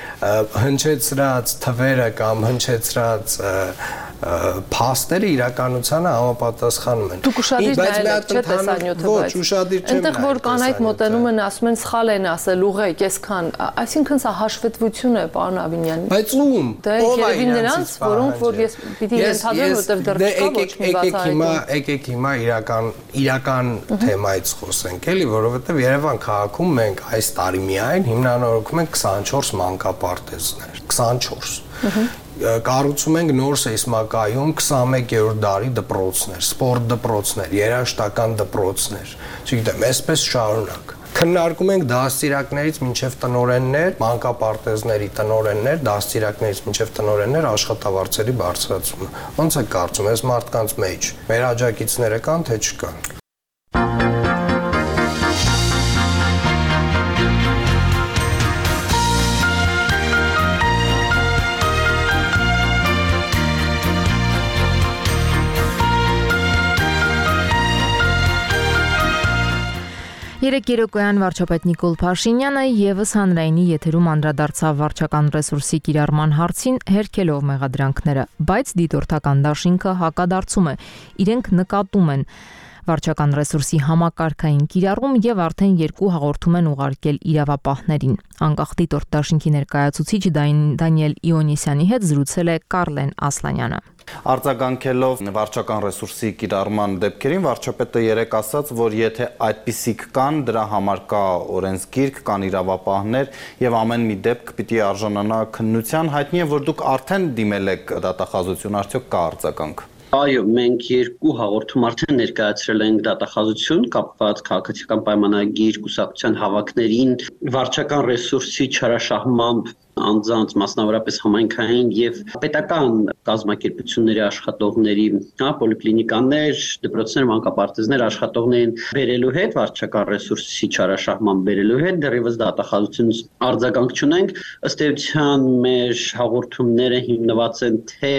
հնչեցրած թվերը կամ հնչեցրած փաստերը իրականությանը համապատասխանում են։ Դուք ուշադիր նայեք, չէ՞ տեսանյութը, ոչ, ուշադիր չեմ նայել։ Այնտեղ որ կանայք մոտենում են, ասում են սխալ են ասել, ուղղեք, այսքան, այսինքն սա հաշվետվություն է, պարոն Ավինյան։ Բայց ում։ Դե երևի նրանց, որոնք որ ես պիտի ենթադրեմ, որտեղ դեռ չկա ոչ մի բացահայտում։ Եկեք հիմա իրական իրական թեմայից խոսենք, էլի, որովհետև Երևան քաղաքում մենք այս տարի միայն հիմնանորոգում ենք քսանչորս մանկապարտեզներ, քսանչորս։ Կառուցում ենք նոր սեյսմակայում քսանմեկերորդ դարի դպրոցներ, սպորտ դպրոցներ, երաժշտական դպրոցներ, չգիտեմ, այսպես շարունակ։ Քննարկում ենք դաստիարակներից մինչև տնօրեններ, մանկապարտեզների տնօրեններ, դաստիարակներից մինչև տնօրեններ աշխատավարձերի բարձրացումը։ Ոնց է կարծում, այս մարդկանց մեջ մեր աջակիցները կան, թե չկան։ Երեկ երեկոյան վարչապետ Նիկոլ Փաշինյանը եւս հանրայինի եթերում անդրադարձավ վարչական ռեսուրսի կիրառման հարցին, հերքելով մեղադրանքները, բայց դիտորդական դաշինքը հակադարձում է, իրենք նկատում են վարչական ռեսուրսի համակարգային կիրառում եւ արդեն երկու հաղորդում են ուղարկել իրավապահներին։ Անկախ դիտորդ դաշինքի ներկայացուցիչ Դանիել Իոնիսյանի հետ զրուցել է Կարլեն Ասլանյանը։ Արձագանքելով վարչական ռեսուրսի կիրառման դեպքերին, վարչապետը երեկ ասաց, որ եթե այդպիսիք կան, դրա համար կա օրենսգիրք, կան իրավապահներ եւ ամեն մի դեպք պիտի արժանանա քննության, հայտնի է, որ դուք արդեն դիմել եք դատախազություն, արդյոք կա արձագանք։ Այո, մենք երկու հաղորդում արդեն ներկայացրել ենք դատախազություն կապված քաղաքացիական պայմանագիր կուսակցության հավաքներին վարչական ռեսուրսի չարաշահմամբ անձանց մասնավորապես համայնքային եւ պետական կազմակերպությունների աշխատողների, հա, պոլիկլինիկաներ, դպրոցներ, մանկապարտեզներ աշխատողներին բերելու հետ վարչական ռեսուրսի չարաշահման բերելու հետ դեռևս դատախազությունից արձագանք չունենք, ըստ էության մեր հաղորդումները հիմնված են թե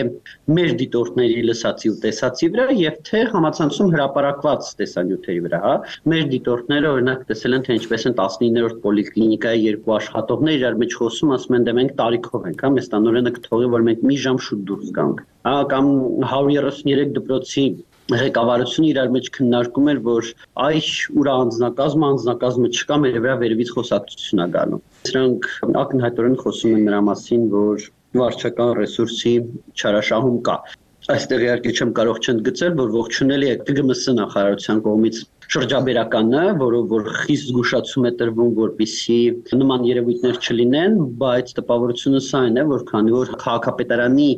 մեր դիտորդների լսածի ու տեսածի վրա եւ թե համացանցում հրապարակված տեսանյութերի վրա, հա, մեր դիտորդները օրինակ տեսել են թե ինչպես են տասնիններորդ պոլիկլինիկայի երկու աշխատողներ իրար մեջ խոսում, ասում են դե մենք տարիքով ենք, հա, մեզ տանորենը կթողի, որ մենք մի ժամ շուտ դուրս գանք, հա, կամ հարյուր երեսուններեք դպրոցի ղեկավարությունը իրար մեջ քննարկում էր, որ այ ուրա անձնակազմը, անձնակազմը չկա, մեր վրա վերևից խոսակցություն է գալու։ Սրանք ակնհայտորեն խոսում են նրա մասին, որ վարչական ռեսուրսի չարաշահում կա։ Այստեղ իհարկե չեմ կարող չընդգծել, որ ողջունելի է Տ Գ M S նախարարության կողմից շրջաբերականը, որով որ խիստ զգուշացում է տրվում, որպեսզի նման երևույթներ չլինեն, բայց տպավորությունը սա է, որ քանի որ քաղաքապետարանի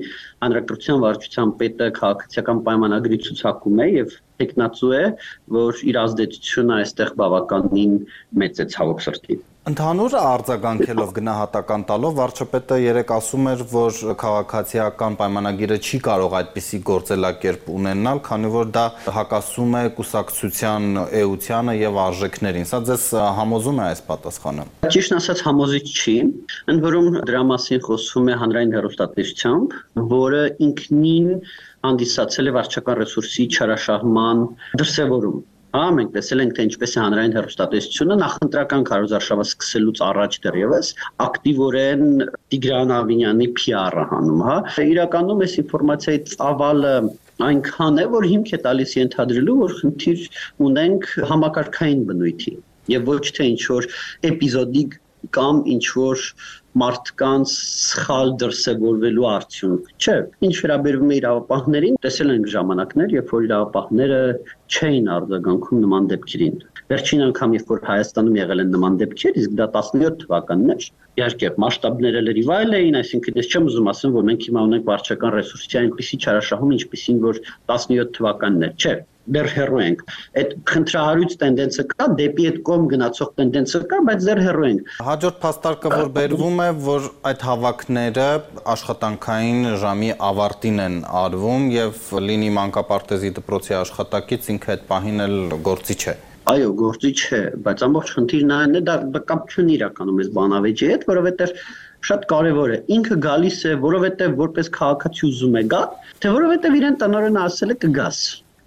հանրակրթության վարչության պետը քաղաքացիական պայմանագրի ցուցակում է եւ տեխնացու է, որ իր ազդեցությունը այստեղ բավականին մեծ է ցավոք սրտի։ Ընդհանուր արձագանքելով գնահատական տալով վարչապետը երեկ ասում էր, որ քաղաքացիական պայմանագիրը չի կարող այդպիսի գործելակերպ ունենալ, քանի որ դա հակասում է կուսակցության էությանը եւ արժեքներին։ Սա ձեզ համոզում է այս պատասխանը։ Ճիշտ ասած համոզիչ չի, ընդ որում դրա մասին խոսվում է հանրային հեռուստատեսությամբ, որը ինքնին հանդիսացել է վարչական ռեսուրսի չարաշահման դրսևորում։ Հա, մենք տեսել ենք, թե ինչպես է հանրային հեռուստատեսությունը նախընտրական քարոզարշավը սկսելուց առաջ դեռևս ակտիվորեն Տիգրան Ավինյանի P R-ը հանում, հա։ Իրականում այս ինֆորմացիայի ծավալը այնքան է, որ հիմք է տալիս ենթադրելու, որ խնդիր ունենք համակարգային բնույթի եւ ոչ թե ինչ-որ էպիզոդիկ կամ ինչ-որ մարդկանց սխալ դրսևորվելու արդյունք, չէ, ինչ վերաբերվում է իրավապահներին, տեսել ենք ժամանակներ, երբ որ իրավապահները չէին արձագանքում նման դեպքերին։ Վերջին անգամ, երբ որ Հայաստանում եղել են նման դեպքեր, իսկ դա տասնյոթ թվականն էր, իհարկե մասշտաբները լրիվ այլ էին, այսինքն ես չեմ ուզում ասեմ, որ մենք հիմա ունենք վարչական ռեսուրսի այնպիսի չարաշահում, ինչպիսին որ տասնյոթ թվականն էր, չէ։ Դեռ հեռու ենք։ Այդ խնդրահարույց տենդենսը կա, դեպի այդ կողմ գնացող տենդենսը կա, բայց դեռ հեռու ենք։ Հաջորդ փաստարկը, որ բերվում է, որ այդ հավաքները աշխատանքային ժամի ավարտին են արվում եւ լինի մանկապարտեզի դպրոցի աշխատակից ինքը այդ պահին էլ գործի չէ։ Այո, գործիչ է, բայց ամբողջ խնդիրն այն է, դա կապ չունի իրականում այս բանավեճի հետ, որովհետև շատ կարևոր է։ Ինքը գալիս է, որովհետև որպես քաղաքացի ուզում է գա, թե որովհետև իրեն տնօրենը ասել է կգաս։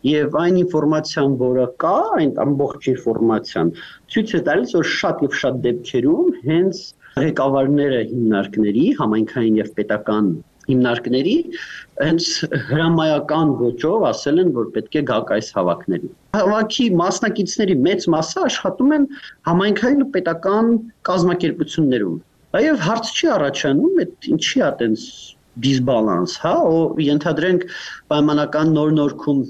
Եվ այն ինֆորմացիան, որը կա, այն ամբողջ ինֆորմացիան ցույց է տալիս, որ շատ եւ շատ դեպքերում հենց ղեկավարները հիմնարկների, համայնքային եւ պետական հիմնարկների հենց հրամայական ոճով ասել են, որ պետք է գաք այս հավաքներին։ Հավաքի մասնակիցների մեծ մասը աշխատում են համայնքային ու պետական կազմակերպություններում։ Այո, հարց չի առաջանում, այդ ինչի է այդպես դիսբալանս, հա, ու ենթադրենք պայմանական նոր նորքում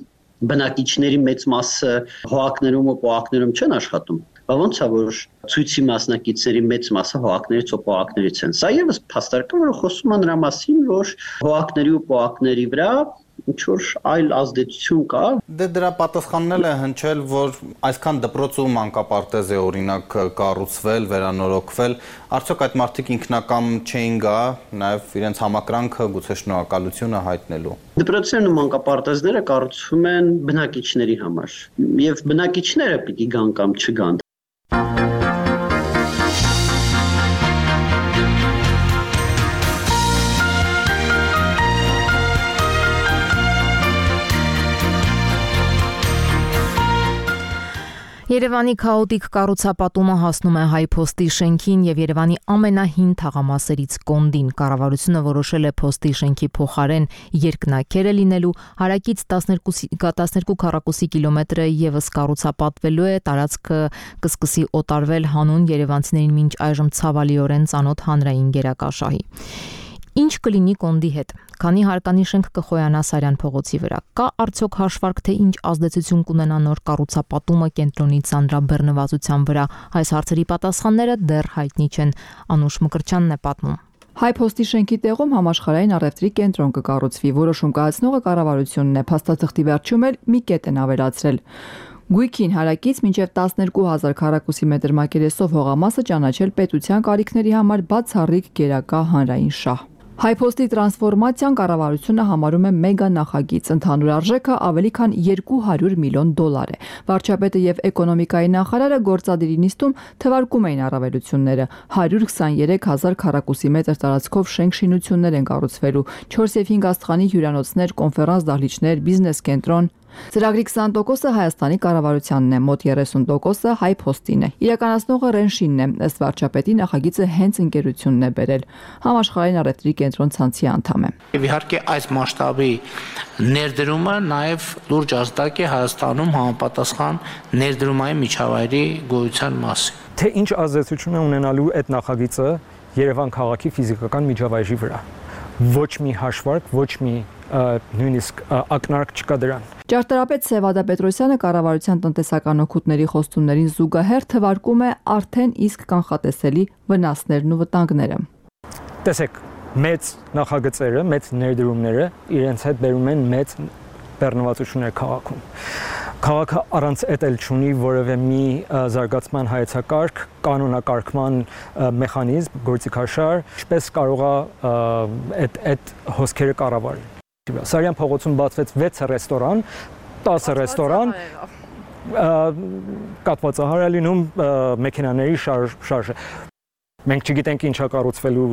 բնակիչների մեծ մասը հողակներում ու պոակներում չեն աշխատում։ Բա ոնց է որ ցույցի մասնակիցների մեծ մասը հողակներից ու պոակներից են։ Սա եւս փաստարկը, որը խոսում է նրա մասին, որ հողակների ու պոակների վրա ինչ-որ այլ ազդեցություն կա։ Դե դրա պատասխանն էլ է հնչել, որ այսքան դպրոց ու մանկապարտեզ է օրինակ կառուցվել, վերանորոգվել, արդյոք այդ մարդիկ ինքնակամ չէին գա, նաև իրենց համակրանքը, գուցե շնորհակալությունը հայտնելու։ Դպրոցներն ու մանկապարտեզները կառուցվում են բնակիչների համար, եւ բնակիչները պիտի գան կամ չգան։ Երևանի քաոտիկ կառուցապատումը հասնում է Հայ փոստի շենքին եւ Երևանի ամենահին թաղամասերից Կոնդին։ Կառավարությունը որոշել է փոստի շենքի փոխարեն երկնաքերը լինելու, հարակից տասներկու քառակուսի կիլոմետրը եւս կառուցապատվելու է, տարածքը կսկսի օտարվել հանուն երևանցիներին մինչ այժմ ցավալիորեն ծանոթ հանրային գերակաշահի։ Ինչ կլինի Կոնդի հետ, քանի հարկանիշենք կխոյանա Սարյան փողոցի վրա, կա արդյոք հաշվարկ, թե ինչ ազդեցություն կունենա նոր կառուցապատումը կենտրոնի ծանրաբեռնվածության վրա, այս հարցերի պատասխանները դեռ հայտնի չեն, Անուշ Մկրտչյանն է պատմում։ Հայ փոստի շենքի տեղում համաշխարհային առևտրի կենտրոն կկառուցվի, որոշում կայացնողը կառավարությունն է, փաստաթղթի վերջում էլ մի կետ են ավելացրել։ Գույքին հարակից մինչև տասներկու հազար քառակուսի մետր մակերեսով հողամասը ճանաչել պետության կարիքների համար բացառիկ գերակա հանրային շահ։ Հայ փոստի տրանսֆորմացիան կառավարությունը համարում է մեգա նախագիծ, ընդհանուր արժեքը ավելի քան երկու հարյուր միլիոն դոլար է։ Վարչապետը եւ էկոնոմիկայի նախարարը գործադիրի նիստում թվարկում էին առավելությունները։ հարյուր քսաներեք հազար քառակուսի մետր տարածքով շենք շինություններ են կառուցվելու, չորս եւ հինգ աստղանի հյուրանոցներ, կոնֆերանս դահլիճներ, բիզնես կենտրոն։ Ծրագրի քսան տոկոսը Հայաստանի կառավարությանն է, մոտ երեսուն տոկոսը Հայ փոստին է։ Իրականացնողը Ռենշինն է, ըստ վարչապետի նախագիծը հենց ընկերությունն է բերել։ Համաշխարհային առևտրի կենտրոն ցանցի անդամ է։ Եվ իհարկե այս մասշտաբի ներդրումը նաև լուրջ ազդակ է Հայաստանում համապատասխան ներդրումային միջավայրի գոյության մասին։ Թե ինչ ազդեցություն է ունենալու այդ նախագիծը Երևան քաղաքի ֆիզիկական միջավայրի վրա։ Ոչ մի հաշվարկ, ոչ մի նույնիսկ ակնարկ չկա դրան։ Ճարտարապետ Սևադա Պետրոսյանը կառավարության տնտեսական օգուտների խոստումներին զուգահեռ թվարկում է արդեն իսկ կանխատեսելի վնասներն ու վտանգները։ Տեսեք, մեծ նախագծերը, մեծ ներդրումները իրենց հետ բերում են մեծ բեռնվածություններ քաղաքում։ Քաղաքը առանց էդ էլ չունի որևէ մի զարգացման հայեցակարգ, կանոնակարգման մեխանիզմ, գործիքաշար, ինչպես կարող է այդ այդ հոսքերը կառավարել։ Սարյան փողոցում բացվեց վեց ռեստորան, տասը ռեստորան, կատվածահար է լինում մեքենաների շարժը։ Մենք չգիտենք ինչա կառուցվելու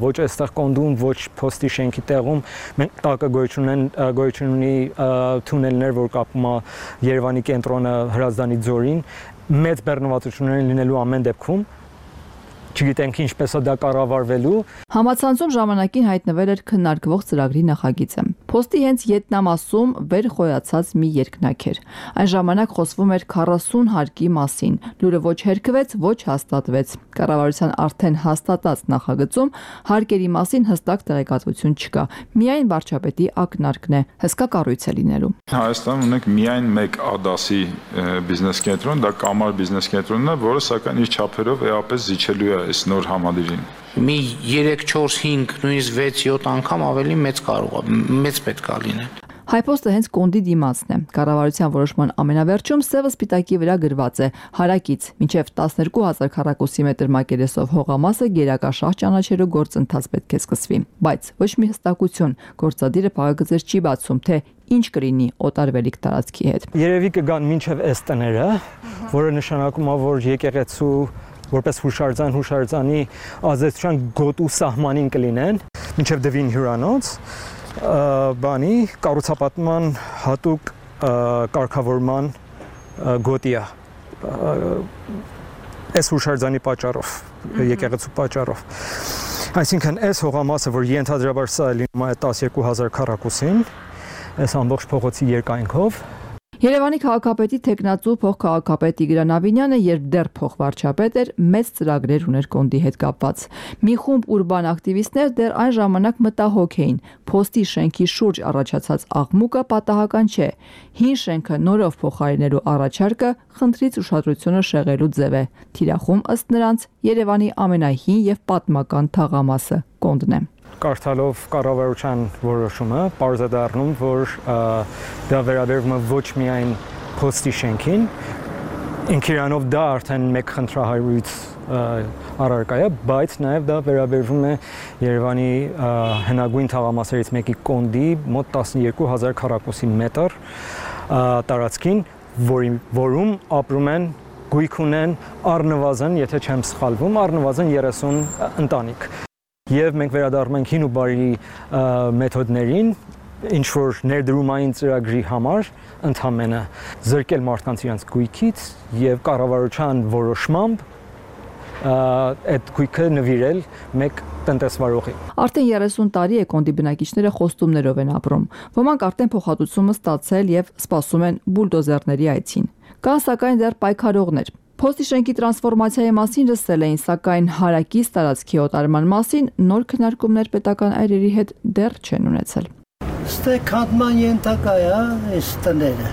ոչ այստեղ Կոնդում, ոչ փոստի շենքի տեղում, մենք տակը գոյություն ունեն գոյություն ունի թունելներ, որ կապում է Երևանի կենտրոնը Հրազդանի ձորին, մեծ բեռնվածություններ լինելու ամեն դեպքում, չգիտենք ինչպես է դա կառավարվելու։ Համացանցում ժամանակին հայտնվել էր քննարկվող ծրագրի նախագիծը։ Փոստի հենց յետնամասում վեր խոյացած մի երկնաքեր։ Այն ժամանակ խոսվում էր քառասուն հարկի մասին։ Լուրը ոչ հերքվեց, ոչ հաստատվեց։ Կառավարության արդեն հաստատած նախագծում հարկերի մասին հստակ տեղեկատվություն չկա։ Միայն վարչապետի ակնարկն է, հսկա կառույց է լինելու։ Հայաստանում ունենք միայն մեկ ԱԴԱՍ-ի բիզնես կենտրոն, դա Կամար բիզնես կենտրոնն է, որը սակայն իր չափերով էապես զիջելու է այս նոր համալիրին։ Մի երեք չորս հինգ նույնիսկ վեց յոթ անգամ ավելի մեծ կարող է, մեծ պետք է լինել։ Հայպոստը հենց կոնդի դիմացն է։ Կառավարության որոշման ամենավերջում սևը սպիտակի վրա գրված է. հարակից մինչև տասներկու հազար քառակուսի մետր մակերեսով հողամասը գերակաշահ ճանաչելու գործընթաց պետք է սկսվի, բայց ոչ մի հստակություն գործադիրը փակագծեր չի բացում, թե ինչ կլինի օտարվելիք տարածքի հետ։ Երևի կգան մինչև այս տները, որը նշանակում է, որ եկեղեցու որպես հուշարձան հուշարձանի ազդեցության գոտու սահմանին կլինեն, մինչև դվին հյուրանոց, բանի կառուցապատման հատուկ կարգավորման գոտիա այս հուշարձանի պատճառով, եկեղեցու պատճառով։ Այսինքն այս հողամասը, որ ենթադրաբար սա է լինում է տասներկու հազար քառակուսին, այս ամբողջ փողոցի երկայնքով։ Երևանի քաղաքապետի թեկնածու փոխքաղաքապետ Տիգրան Ավինյանը, երբ դեռ փոխվարչապետ էր, մեծ ծրագրեր ուներ կոնդի հետ կապված։ Մի խումբ ուրբան ակտիվիստներ դեռ այն ժամանակ մտահոգ էին։ Փոստի շենքի շուրջ առաջացած աղմուկը պատահական չէ։ Հին շենքը նորով փոխարինելու առաջարկը խնդրից ուշադրությունը շեղելու ձև է։ Թիրախում ըստ նրանց Երևանի ամենահին եւ պատմական թաղամասը կոնդն է։ Կարդալով կառավարության որոշումը, պարզ է դառնում, որ դա վերաբերվում է ոչ միայն փոստի շենքին, ինքիրանով դա արդեն մեկ խնդրահարույց առարկա է, բայց նաև դա վերաբերվում է Երևանի հնագույն թաղամասերից մեկի կոնդի մոտ տասներկու հազար քառակուսի մետր տարածքին, որում ապրում են, գույք ունեն առնվազն, եթե չեմ սխալվում, առնվազն երեսուն ընտանիք։ Եվ մենք վերադառնում ենք հին ու բարի մեթոդներին, ինչ որ ներդրումային ծրագրի համար ընդհանրապես զրկել մարդկանց իրենց գույքից եւ կառավարության որոշմամբ այդ գույքը նվիրել մեկ տնտեսվարողի։ Արդեն երեսուն տարի է կոնդի բնակիչները խոստումներով են ապրում։ Ոմանք արդեն փոխհատուցումը ստացել եւ սպասում են բուլդոզերների այցին։ Կան սակայն դեռ պայքարողներ։ Փոստի շենքի տրանսֆորմացիայի մասին լսել էին, սակայն հարակից տարածքի օտարման մասին նոր քննարկումներ պետական այրերի հետ դեռ չեն ունեցել։ Ստե քանդման ենթակա է, այս տները։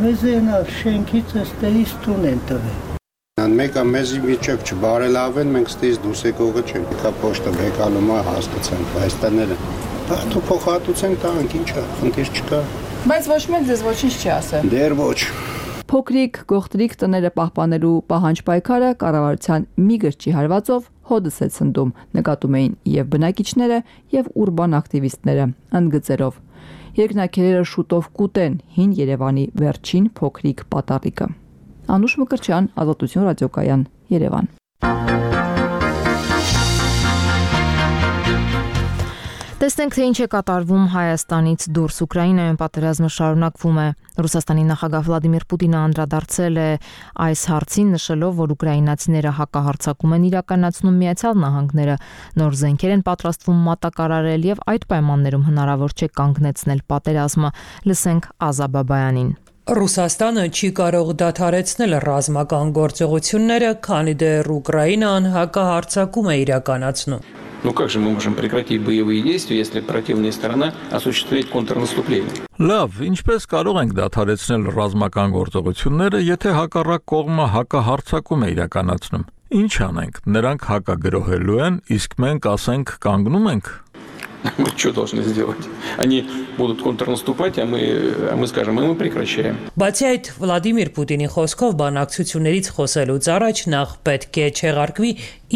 Մեզ են շենքից ըստեից տուն են տվել։ Մեկը մեզի միջև չբարելավեն, մենք ստեից դուրս եկողը չենք։ Կա պոստը բեկալում է, հասկացանք, այս տները։ Դու փոխհատուցենք տանք, ինչա, խնդիր չկա։ Բայց ոչ մեկ ձեզ ոչինչ չի ասել։ Դեռ ոչ։ Փոքրիկ գողտրիկ տները պահպանելու պահանջ պայքարը կառավարության մի գրճի հարվածով հոդս է ցնդում, նկատում էին եւ բնակիչները եւ ուրբան ակտիվիստները, ընդգծելով. Երկնաքերերը շուտով կուտեն հին Երևանի վերջին փոքրիկ պատառիկը։ Անուշ Մկրտչյան, Ազատություն ռադիոկայան, Երևան։ Տեսնենք, թե ինչ է կատարվում Հայաստանից դուրս։ Ուկրաինայում պատերազմը շարունակվում է։ Ռուսաստանի նախագահ Վլադիմիր Պուտինը անդրադարձել է այս հարցին, նշելով, որ ուկրաինացիները հակահարձակում են իրականացնում Միացյալ Նահանգները, նոր զենքեր են պատրաստվում մատակարարել եւ այդ պայմաններում հնարավոր չէ կանգնեցնել պատերազմը։ Լսենք Ազա Բաբայանին։ Ռուսաստանը չի կարող դադարեցնել ռազմական գործողությունները, քանի դեռ Ուկրաինան հակահարձակում է իրականացնում։ Ну как же мы можем прекратить боевые действия, если противная сторона осуществляет контрнаступление? Լավ, ինչպես կարող ենք դադարեցնել ռազմական գործողությունները, եթե հակառակ կողմը հակահարձակում է իրականացնում։ Ինչ անենք, նրանք հակագրոհելու են, իսկ մենք ասենք կանգնում ենք։ Мы что должны сделать? Они будут контрнаступать, а мы, а мы скажем, мы прекращаем. Բացի այդ, Վլադիմիր Պուտինի խոսքով բանակցություններից խոսելուց առաջ նախ պետք է չեղարկվի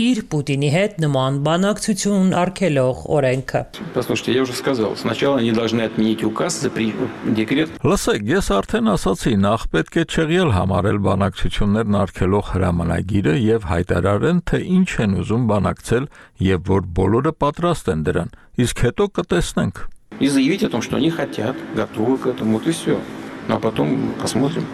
իր Պուտինի հետ նման բանակցություն արգելող օրենքը։ Послушайте, я уже сказал, сначала они должны отменить указ, запретить декрет. Լսեք, ես արդեն ասացի, նախ պետք է չեղյալ համարել բանակցություններն արգելող հրամանագիրը եւ հայտարարեն, թե ինչ են ուզում բանակցել եւ որ բոլորը պատրաստ են դրան։ Իսկ հետո կտեսնենք։ И заявить о том, что они хотят, готовы к этому, вот и все. Ну а потом посмотрим.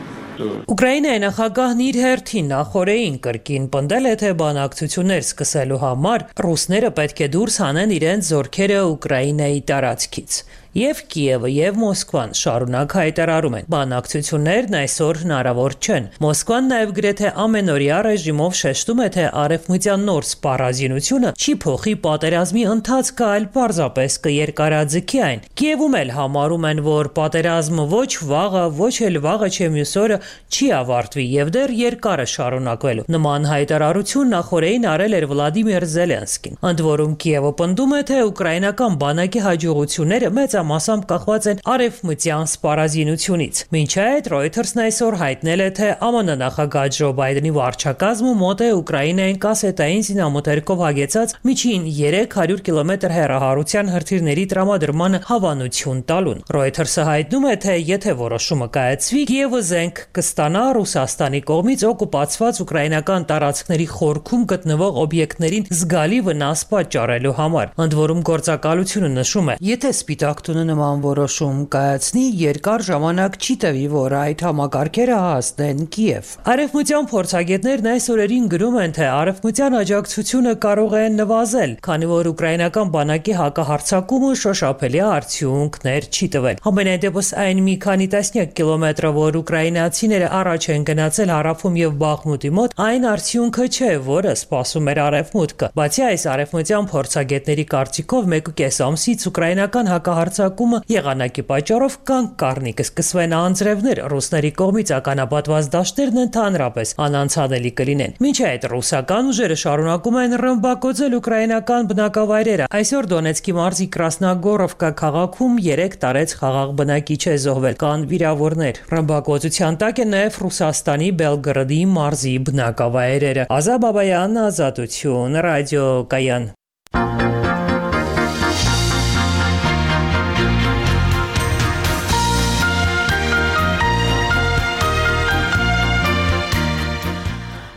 Ուկրաինայի նախագահն իր հերթին նախորդին կրկին պնդել է, թե բանակցություններ սկսելու համար ռուսները պետք է դուրս հանեն իրենց զորքերը Ուկրաինայի տարածքից։ Եվ Կիևը եւ Մոսկվան շարունակ հայտարարում են, բանակցություններն այսօր հնարավոր չեն։ Մոսկվան նաեւ գրեթե ամենօրյա ռեժիմով շեշտում է, թե արևմտյան նոր սպառազինությունը չի փոխի պատերազմի ընթացքը, այլ պարզապես կերկարաձգի այն։ Կիևում էլ համարում են, որ պատերազմը ոչ վաղը, ոչ էլ վաղը չէ մյուս օրը չի ավարտվի եւ դեռ երկար է շարունակվելու։ Նման հայտարարություն նախորդին արել էր Վլադիմիր Զելենսկին։ Ընդ որում Կիևը պնդում է, թե ուկրաինական բանակի հաջողությունները մեծ մեծամասամբ կախված են արևմտյան սպառազինությունից։ Մինչ այդ Reuters-ն այսօր հայտնել է, թե ԱՄՆ նախագահ Ջո Բայդենի վարչակազմը մոտ է Ուկրաինային կասետային զինամթերքով հագեցած միջին երեք հարյուր կիլոմետր հեռահարության հրթիռների տրամադրմանը հավանություն տալուն։ Reuters-ը հայտնում է, թե եթե որոշումը կայացվի, Կիևը զենք կստանա Ռուսաստանի կողմից օկուպացված ուկրաինական տարածքների խորքում գտնվող օբյեկտներին զգալի վնաս պատճառելու համար։ Ընդ որում գործակալությունը նշում է, եթե Սպիտակ տունը նման որոշում կայացնի, երկար ժամանակ չի տևի, որ այդ համակարգերը հասնեն Կիև։ Արևմտյան փորձագետներն այս օրերին գրում են, թե արևմտյան աջակցությունը կարող է նվազել, քանի որ ուկրաինական բանակի հակահարձակումը շոշափելի արդյունքներ չի տվել։ Համենայն դեպս այն մի քանի տասնյակ կիլոմետրը, որ ուկրաինացիները առաջ են գնացել հարավում եւ Բախմուտի մոտ, այն արդյունքը չէ, որը սպասում էր արևմուտքը։ Բացի այս, արևմտյան փորձագետների կարծիքով մեկուկես ամսից ուկրաինական հակահարձակումը եղանակի պատճառով կանգ կառնի, կսկսվեն անձրևներ, ռուսների կողմից ականապատված դաշտերն ընդհանրապես անանցանելի կլինեն։ Մինչ այդ ռուսական ուժերը շարունակում են ռմբակոծել ուկրաինական բնակավայրերը։ Այսօր Դոնեցկի մարզի Կրասնագորովկա քաղաքում երեք տարեց խաղաղ բնակիչ է զոհվել, կան վիրավորներ։ Ռմբակոծության տակ է նաև Ռուսաստանի Բելգրադի մարզի բնակավայրերը։ Ազա Բաբայան, Ազատություն, ռադիոկայան։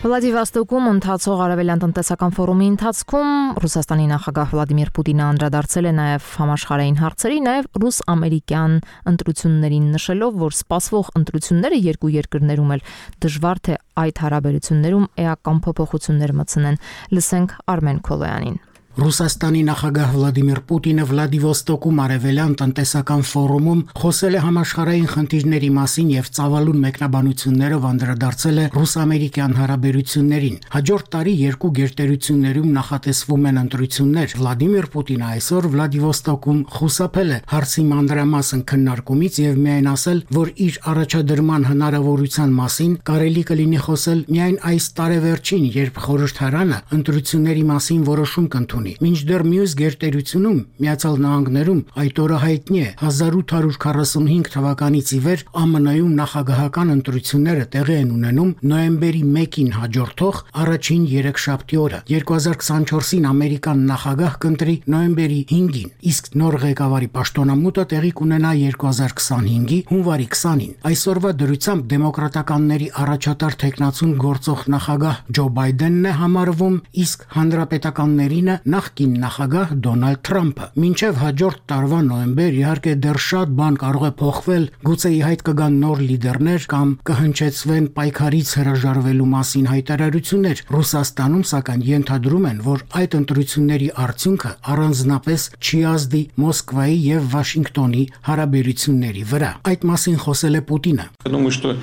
Վլադիվոստոկում ընթացող արևելյան տնտեսական ֆորումի ընթացքում Ռուսաստանի նախագահ Վլադիմիր Պուտինը անդրադարձել է նաև համաշխարհային հարցերի, նաև ռուս-ամերիկյան ընտրություններին, նշելով, որ սպասվող ընտրությունները երկու երկրներում էլ դժվար թե այդ հարաբերություններում էական փոփոխություններ մտցնեն։ Լսենք Արմեն Քոլոյանին։ Ռուսաստանի նախագահ Վլադիմիր Պուտինը Վլադիվոստոկում արևելյան տնտեսական ֆորումում խոսել է համաշխարհային խնդիրների մասին եւ ծավալուն մեկնաբանություններով անդրադարձել է ռուս-ամերիկյան հարաբերություններին։ Հաջորդ տարի երկու գերտերություններում նախատեսվում են ընտրություններ։ Վլադիմիր Պուտինը այսօր Վլադիվոստոկում խուսափել է հարցի մանրամասն քննարկումից եւ միայն ասել, որ իր առաջադրման հնարավորության մասին կարելի կլինի խոսել միայն այս տարեվերջին, երբ խորհրդարանը ընտրությունների մասին որոշում կընդունի։ Մինչդեռ մյուս գերտերությունում Միացյալ Նահանգներում այդ օրը հայտնի է հազար ութ հարյուր քառասունհինգ թվականից ի վեր ԱՄՆ-ում նախագահական ընտրությունները տեղի են ունենում նոյեմբերի մեկին հաջորդող առաջին երեքշաբթի օրը։ երկու հազար քսանչորսին ամերիկան նախագահ կընտրի նոյեմբերի հինգին, իսկ նոր ղեկավարի պաշտոնամուտը տեղի կունենա երկու հազար քսանհինգի հունվարի քսանին։ Այսօրվա դրությամբ դեմոկրատականների առաջատար թեկնածուն գործող նախագահ Ջո Բայդենն է համարվում, իսկ հանրապետականներինը նախկին նախագահ Դոնալդ Թրամփը։ Մինչև հաջորդ տարվա նոյեմբեր իհարկե դեռ շատ բան կարող է փոխվել, գուցե ի հայտ կգան նոր լիդերներ կամ կհնչեցվեն պայքարից հրաժարվելու մասին հայտարարություններ։ Ռուսաստանում սակայն ենթադրում են, որ այդ ընտրությունների արդյունքը առանձնապես չի ազդի Մոսկվայի եւ Վաշինգտոնի հարաբերությունների վրա։ Այդ մասին խոսել է Պուտինը։ Думаю, что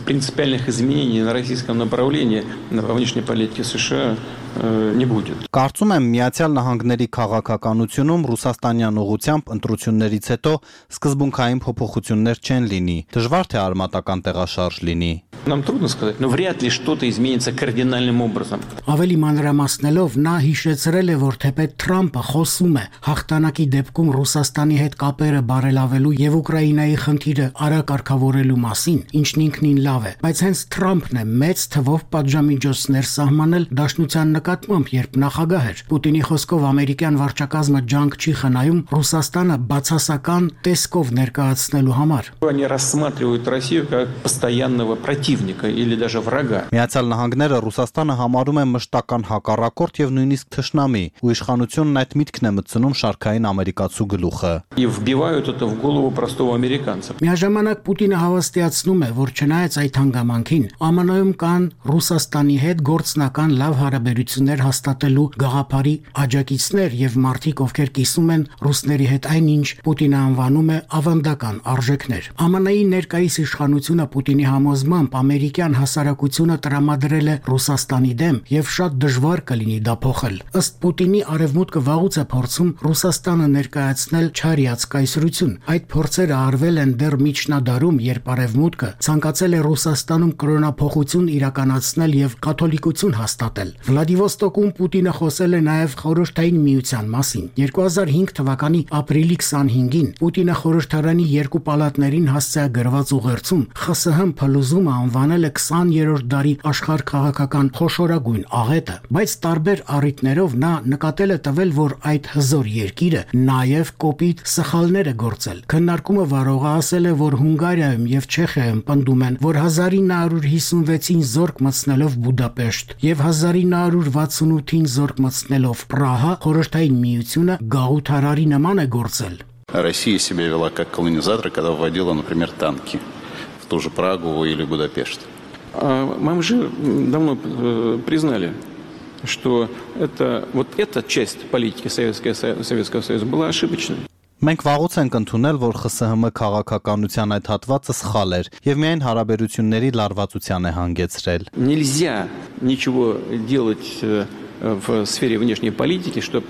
принципиальных изменений на российском направлении во внешней политике США не будет. Կարծում եմ Միացյալ Նահանգների քաղաքականությունում ռուսաստանյան ուղղությամբ ընտրություններից հետո սկզբունքային փոփոխություններ չեն լինի։ Դժվար թե արմատական տեղաշարժ լինի։ Нам трудно сказать, но вряд ли что-то изменится кардинальным образом. Ավելի մանրամասնելով նա հիշեցրել է, որ թեպետ Թրամփը խոսում է հաղթանակի դեպքում Ռուսաստանի հետ կապերը բարելավելու եւ Ուկրաինայի խնդիրը արագ կարգավորելու մասին, ինչն ինքնին լավ է, բայց հենց Թրամփն է մեծ թվով պատժամիջոցներ սահմանել Դաշնության նկատմամբ, երբ նախագահ էր։ Պուտինի խոսքով ամերիկյան վարչակազմը ջանք չի խնայում Ռուսաստանը բացասական տեսքով ներկայացնելու համար։ Они рассматривают Россию как постоянного противника или даже врага. Միացյալ Նահանգները Ռուսաստանը համարում են մշտական հակառակորդ եւ նույնիսկ թշնամի, ու իշխանությունն այդ միտքն է մտցնում շարքային ամերիկացու գլուխը։ И вбивают это в голову простого американца. Միաժամանակ Պուտինը հավաստիացնում է, որ չնայած այդ հանգամանքին, ԱՄՆ-ում կան Ռուսաստանի հետ գործնական լավ հարաբերություններ հաստատելու գաղափարի աջակիցներ եւ մարդիկ, ովքեր կիսում են ռուսների հետ այնինչ Պուտինը անվանում է ավանդական արժեքներ։ ԱՄՆ-ի ներկայիս իշխանությունը Պուտինի համոզմամբ ամերիկյան հասարակությունը տրամադրել է Ռուսաստանի դեմ եւ շատ դժվար կլինի դա փոխել։ Ըստ Պուտինի արևմուտքը վաղուց է փորձում Ռուսաստանը ներկայացնել չարիած կայսրություն։ Այդ փորձերը արվել են դեռ միջնադարում, երբ արևմուտքը ցանկացել է Ռուսաստանում կրոնափոխություն իրականացնել եւ կաթոլիկություն հաստատել։ Վլադիվոստոկում Պուտինը խոսել է նաև Խորհրդային Միության մասին։ երկու հազար հինգ թվականի ապրիլի քսանհինգին Պուտինը խորհրդարանի երկու պալատներին հասցեագրված ուղերձում ԽՍՀՄ փլուզումը անվանել է քսաներորդ դարի աշխարհ քաղաքական խոշորագույն աղետը, բայց տարբեր առիթներով նա նկատել է տվել, որ այդ հզոր երկիրը նաև կոպիտ սխալներ է գործել։ Քննարկումը վարողը ասել է, որ Հունգարիայում եւ Չեխիայում պնդում են, որ հազար ինը հարյուր հիսունվեցին զորք մտցնելով Բուդապեշտ եւ հազար ինը հարյուր վաթսունութին զորք մտցնելով Պրահա խորհրդային միությունը գաղութարարի նման է գործել։ Россия себя вела как колонизатор, когда вводила, например, танки в ту же Прагу или Будапешт. Мы же давно признали, что это, вот эта часть политики Советского, Советского Союза была ошибочной. Մենք վաղուց ենք ընդունել, որ ԽՍՀՄ քաղաքականության այդ հատվածը սխալ էր եւ միայն հարաբերությունների լարվածության է հանգեցրել։ Нельзя ничего делать в сфере внешней политики, что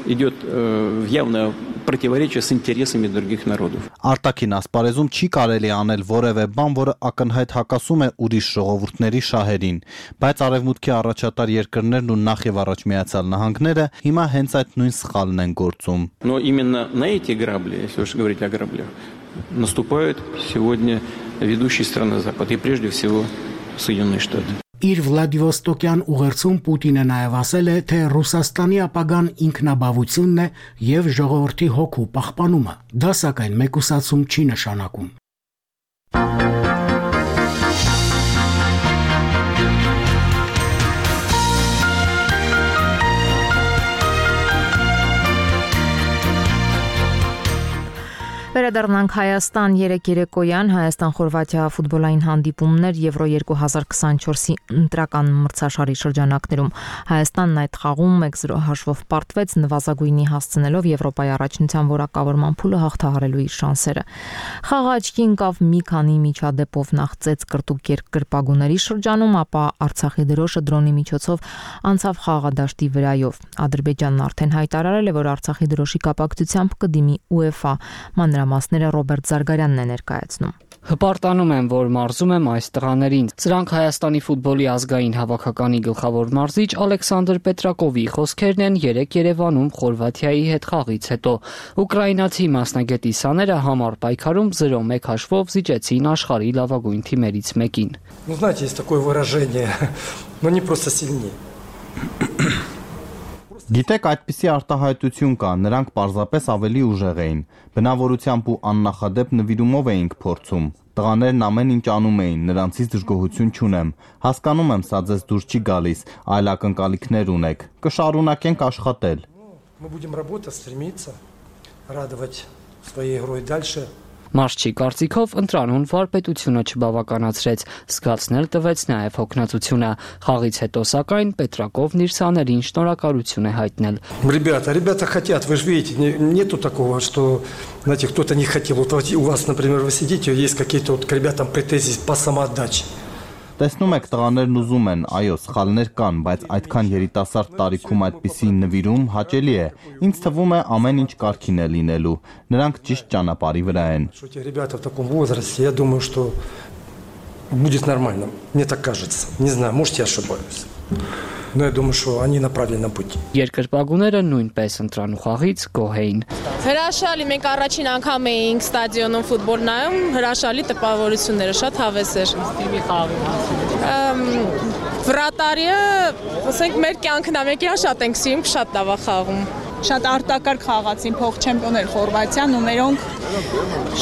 идет в явное противоречие с интересами других народов. Արտաքին ասպարեզում չի կարելի անել որևէ բան, որը ակնհայտ հակասում է ուրիշ ժողովուրդների շահերին, բայց արևմուտքի առաջատար երկրներն ու նախ եւ առաջ Միացյալ Նահանգները հիմա հենց այդ նույն սխալն են գործում։ Но именно на эти грабли, если уж говорить о граблях, наступают сегодня ведущие страны Запада и прежде всего Соединенные Штаты. Իր Վլադիվոստոկյան ուղերձում Պուտինը նաև ասել է, թե Ռուսաստանի ապագան ինքնաբավությունն է եւ ժողովրդի հոգու պահպանումը։ Դա սակայն մեկուսացում չի նշանակում։ Վերադառնանք Հայաստան երեք երեկոյան Հայաստան-Խորվաթիա ֆուտբոլային հանդիպումներ Եվրո երկու հազար քսանչորսի ընտրական մրցաշարի շրջանակներում Հայաստանն այդ խաղում մեկ զրո հաշվով պարտվեց նվազագույնի հասցնելով Եվրոպայի առաջնության որակավորման փուլը հաղթահարելու իր շանսերը։ Խաղը աչքի ընկավ մի քանի միջադեպով նախծեց կրտուկ երկրպագուների շրջանում, ապա Արցախի դրոշը դրոնի միջոցով անցավ խաղադաշտի վրայով։ Ադրբեջանն արդեն հայտարարել է, որ Արցախի դրոշի կապակցությամբ կդիմի ՈՒԵՖԱ մանրամասները Ռոբերտ Զարգարյանն է ներկայացնում։ Հպարտանում եմ, որ մարզում եմ այս տղաներին։ Սրանք Հայաստանի ֆուտբոլի ազգային հավաքականի գլխավոր մարզիչ Ալեքսանդր Պետրակովի խոսքերն են երեք Երևանում Խորվաթիայի հետ խաղից հետո։ Ուկրաինացի մասնագետի սաները համառ պայքարում զրո մեկ հաշվով զիջեցին աշխարհի լավագույն թիմերից մեկին։ Ну, знаете, есть такое выражение, но не просто сильнее. Գիտեք, այդպիսի արտահայտություն կա, նրանք պարզապես ավելի ուժեղ էին, բնավորությամբ ու աննախադեպ նվիրումով էինք փորձում, տղաներն ամեն ինչ անում էին, նրանցից դժգոհություն չունեմ, հասկանում եմ, սա ձեզ դուր չի գալիս, այլ ակնկալիքներ ունեք, կշարունակենք աշխատել։ Мы будем работать, стремиться, радовать своей игрой дальше. Մարշչի կարծիքով ընտրանուն վարպետությունը չբավականացրեց, զգացնել տվեց նաև հոգնածությունը։ Խաղից հետո սակայն Պետրակովն իր սաներին շնորհակալություն է հայտնել։ Ребята, ребята хотят, вы же видите, нету такого, что, знаете, кто-то не хотел. Вот у вас, например, вы сидите, есть какие-то вот к ребятам претензии по самоотдаче. Տեսնում եք, տղաներն ուզում են, այո, սխալներ կան, բայց այդքան երիտասարդ տարիքում այդպիսի նվիրում հաճելի է։ Ինձ թվում է ամեն ինչ կարգին է լինելու։ Նրանք ճիշտ ճանապարհի վրա են։ Ребята в таком возрасте, я думаю, что будет нормально. Мне так кажется. Не знаю, может, я ошибаюсь. Но я думаю, что они на правильном пути. Երկրպագուները նույնպես ընտրանու խաղից գոհ էին։ Հրաշալի, մենք առաջին անգամ էինք ստադիոնում ֆուտբոլ նայում, հրաշալի տպավորությունները, շատ հավես էր։ Թիմի խաղի։ Վրատարիը, ասենք մեր կյանքն է, մենք իրան շատ ենք սիրում, շատ լավ է խաղում։ Շատ արտակարգ խաղացին փոխ չեմպիոներ Խորվաթիան ու մերոնք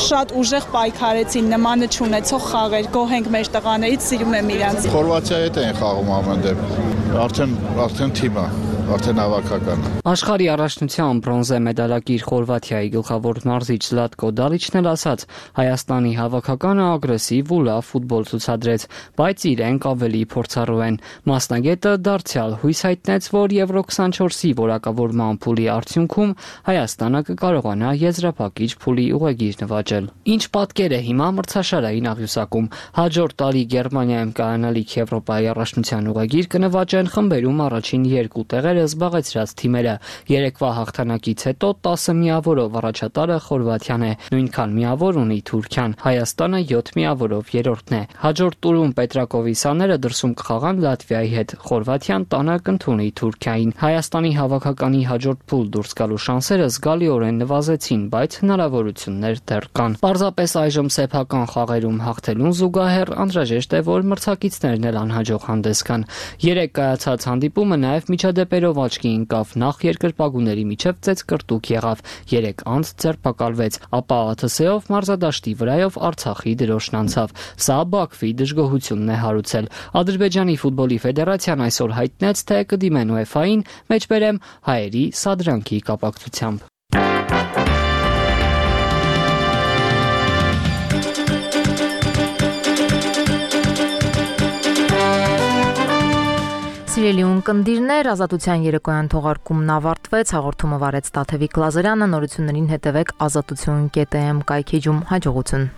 շատ ուժեղ պայքարեցին, նմանը չունեցող խաղեր, գոհ ենք մեր տղաներից, սիրում եմ իրանց։ Խորվաթիայի հետ են խաղում ամեն դեպքում։ Արդեն արդեն թիմ է, արդեն հավաքական։ Աշխարհի առաջնության բրոնզե մեդալակիր Խորվաթիայի գլխավոր մարզիչ Զլատկո Դալիչն էլ ասաց, Հայաստանի հավաքականը ագրեսիվ ու լավ ֆուտբոլ ցուցադրեց, բայց իրենք ավելի փորձառու են։ Մասնագետը դարձյալ հույս հայտնեց, որ Եվրո քսանչորսի որակավորման փուլի արդյունքում Հայաստանը կկարողանա եզրափակիչ փուլի ուղեգիր նվաճել։ Ինչ պատկեր է հիմա մրցաշարային աղյուսակում։ Հաջորդ տարի Գերմանիայում կայանալիք Եվրոպայի առաջնության ուղեգիր կնվաճեն խմբերում առաջին երկու տեղերը տեղերը զբաղեցրած թիմերը։ Երեկվա հաղթանակից հետո տասը միավորով առաջատարը Խորվաթիան է, նույնքան միավոր ունի Թուրքիան, Հայաստանը յոթ միավորով երրորդն է։ Հաջորդ տուրում Պետրակովիսյանները դրսում կխաղան Լատվիայի հետ, Խորվաթիան տանը կընդունի Թուրքիային։ Հայաստանի հավաքականի հաջորդ փուլ դուրս գալու շանսերը զգալիորեն նվազեցին, բայց հնարավորություններ դեռ կան։ Պարզապես այժմ սեփական խաղերում հաղթելուն զուգահեռ անհրաժեշտ է, որ մրցակիցներն էլ անհաջող հանդես գան։ Երեք կայացած հանդիպումը նաև միջադեպերով աչքի ընկավ, նախ երկրպագուների միջև ծեծկրտուկ եղավ, երեք անց ձերբակալվեց, ապա ԱԹՍ-ով մարզադաշտի վրայով Արցախի դրոշն անցավ։ Սա Բաքվի դժգոհությունն է հարուցել։ Ադրբեջանի ֆուտբոլի ֆեդերացիան այսօր հայտնեց, թե կդիմեն ՈՒԵՖԱ-ին, մեջբերեմ հայերի սադրանքի կապակցությամբ։ Սիրելի ունկնդիրներ, Ազատության երեկոյան թողարկումն ավարտվեց, հաղորդումը վարեց Տաթևիկ Լազարյանը, նորություններին հետևեք ազատություն կետ էմ կայքեջում, հաջողություն։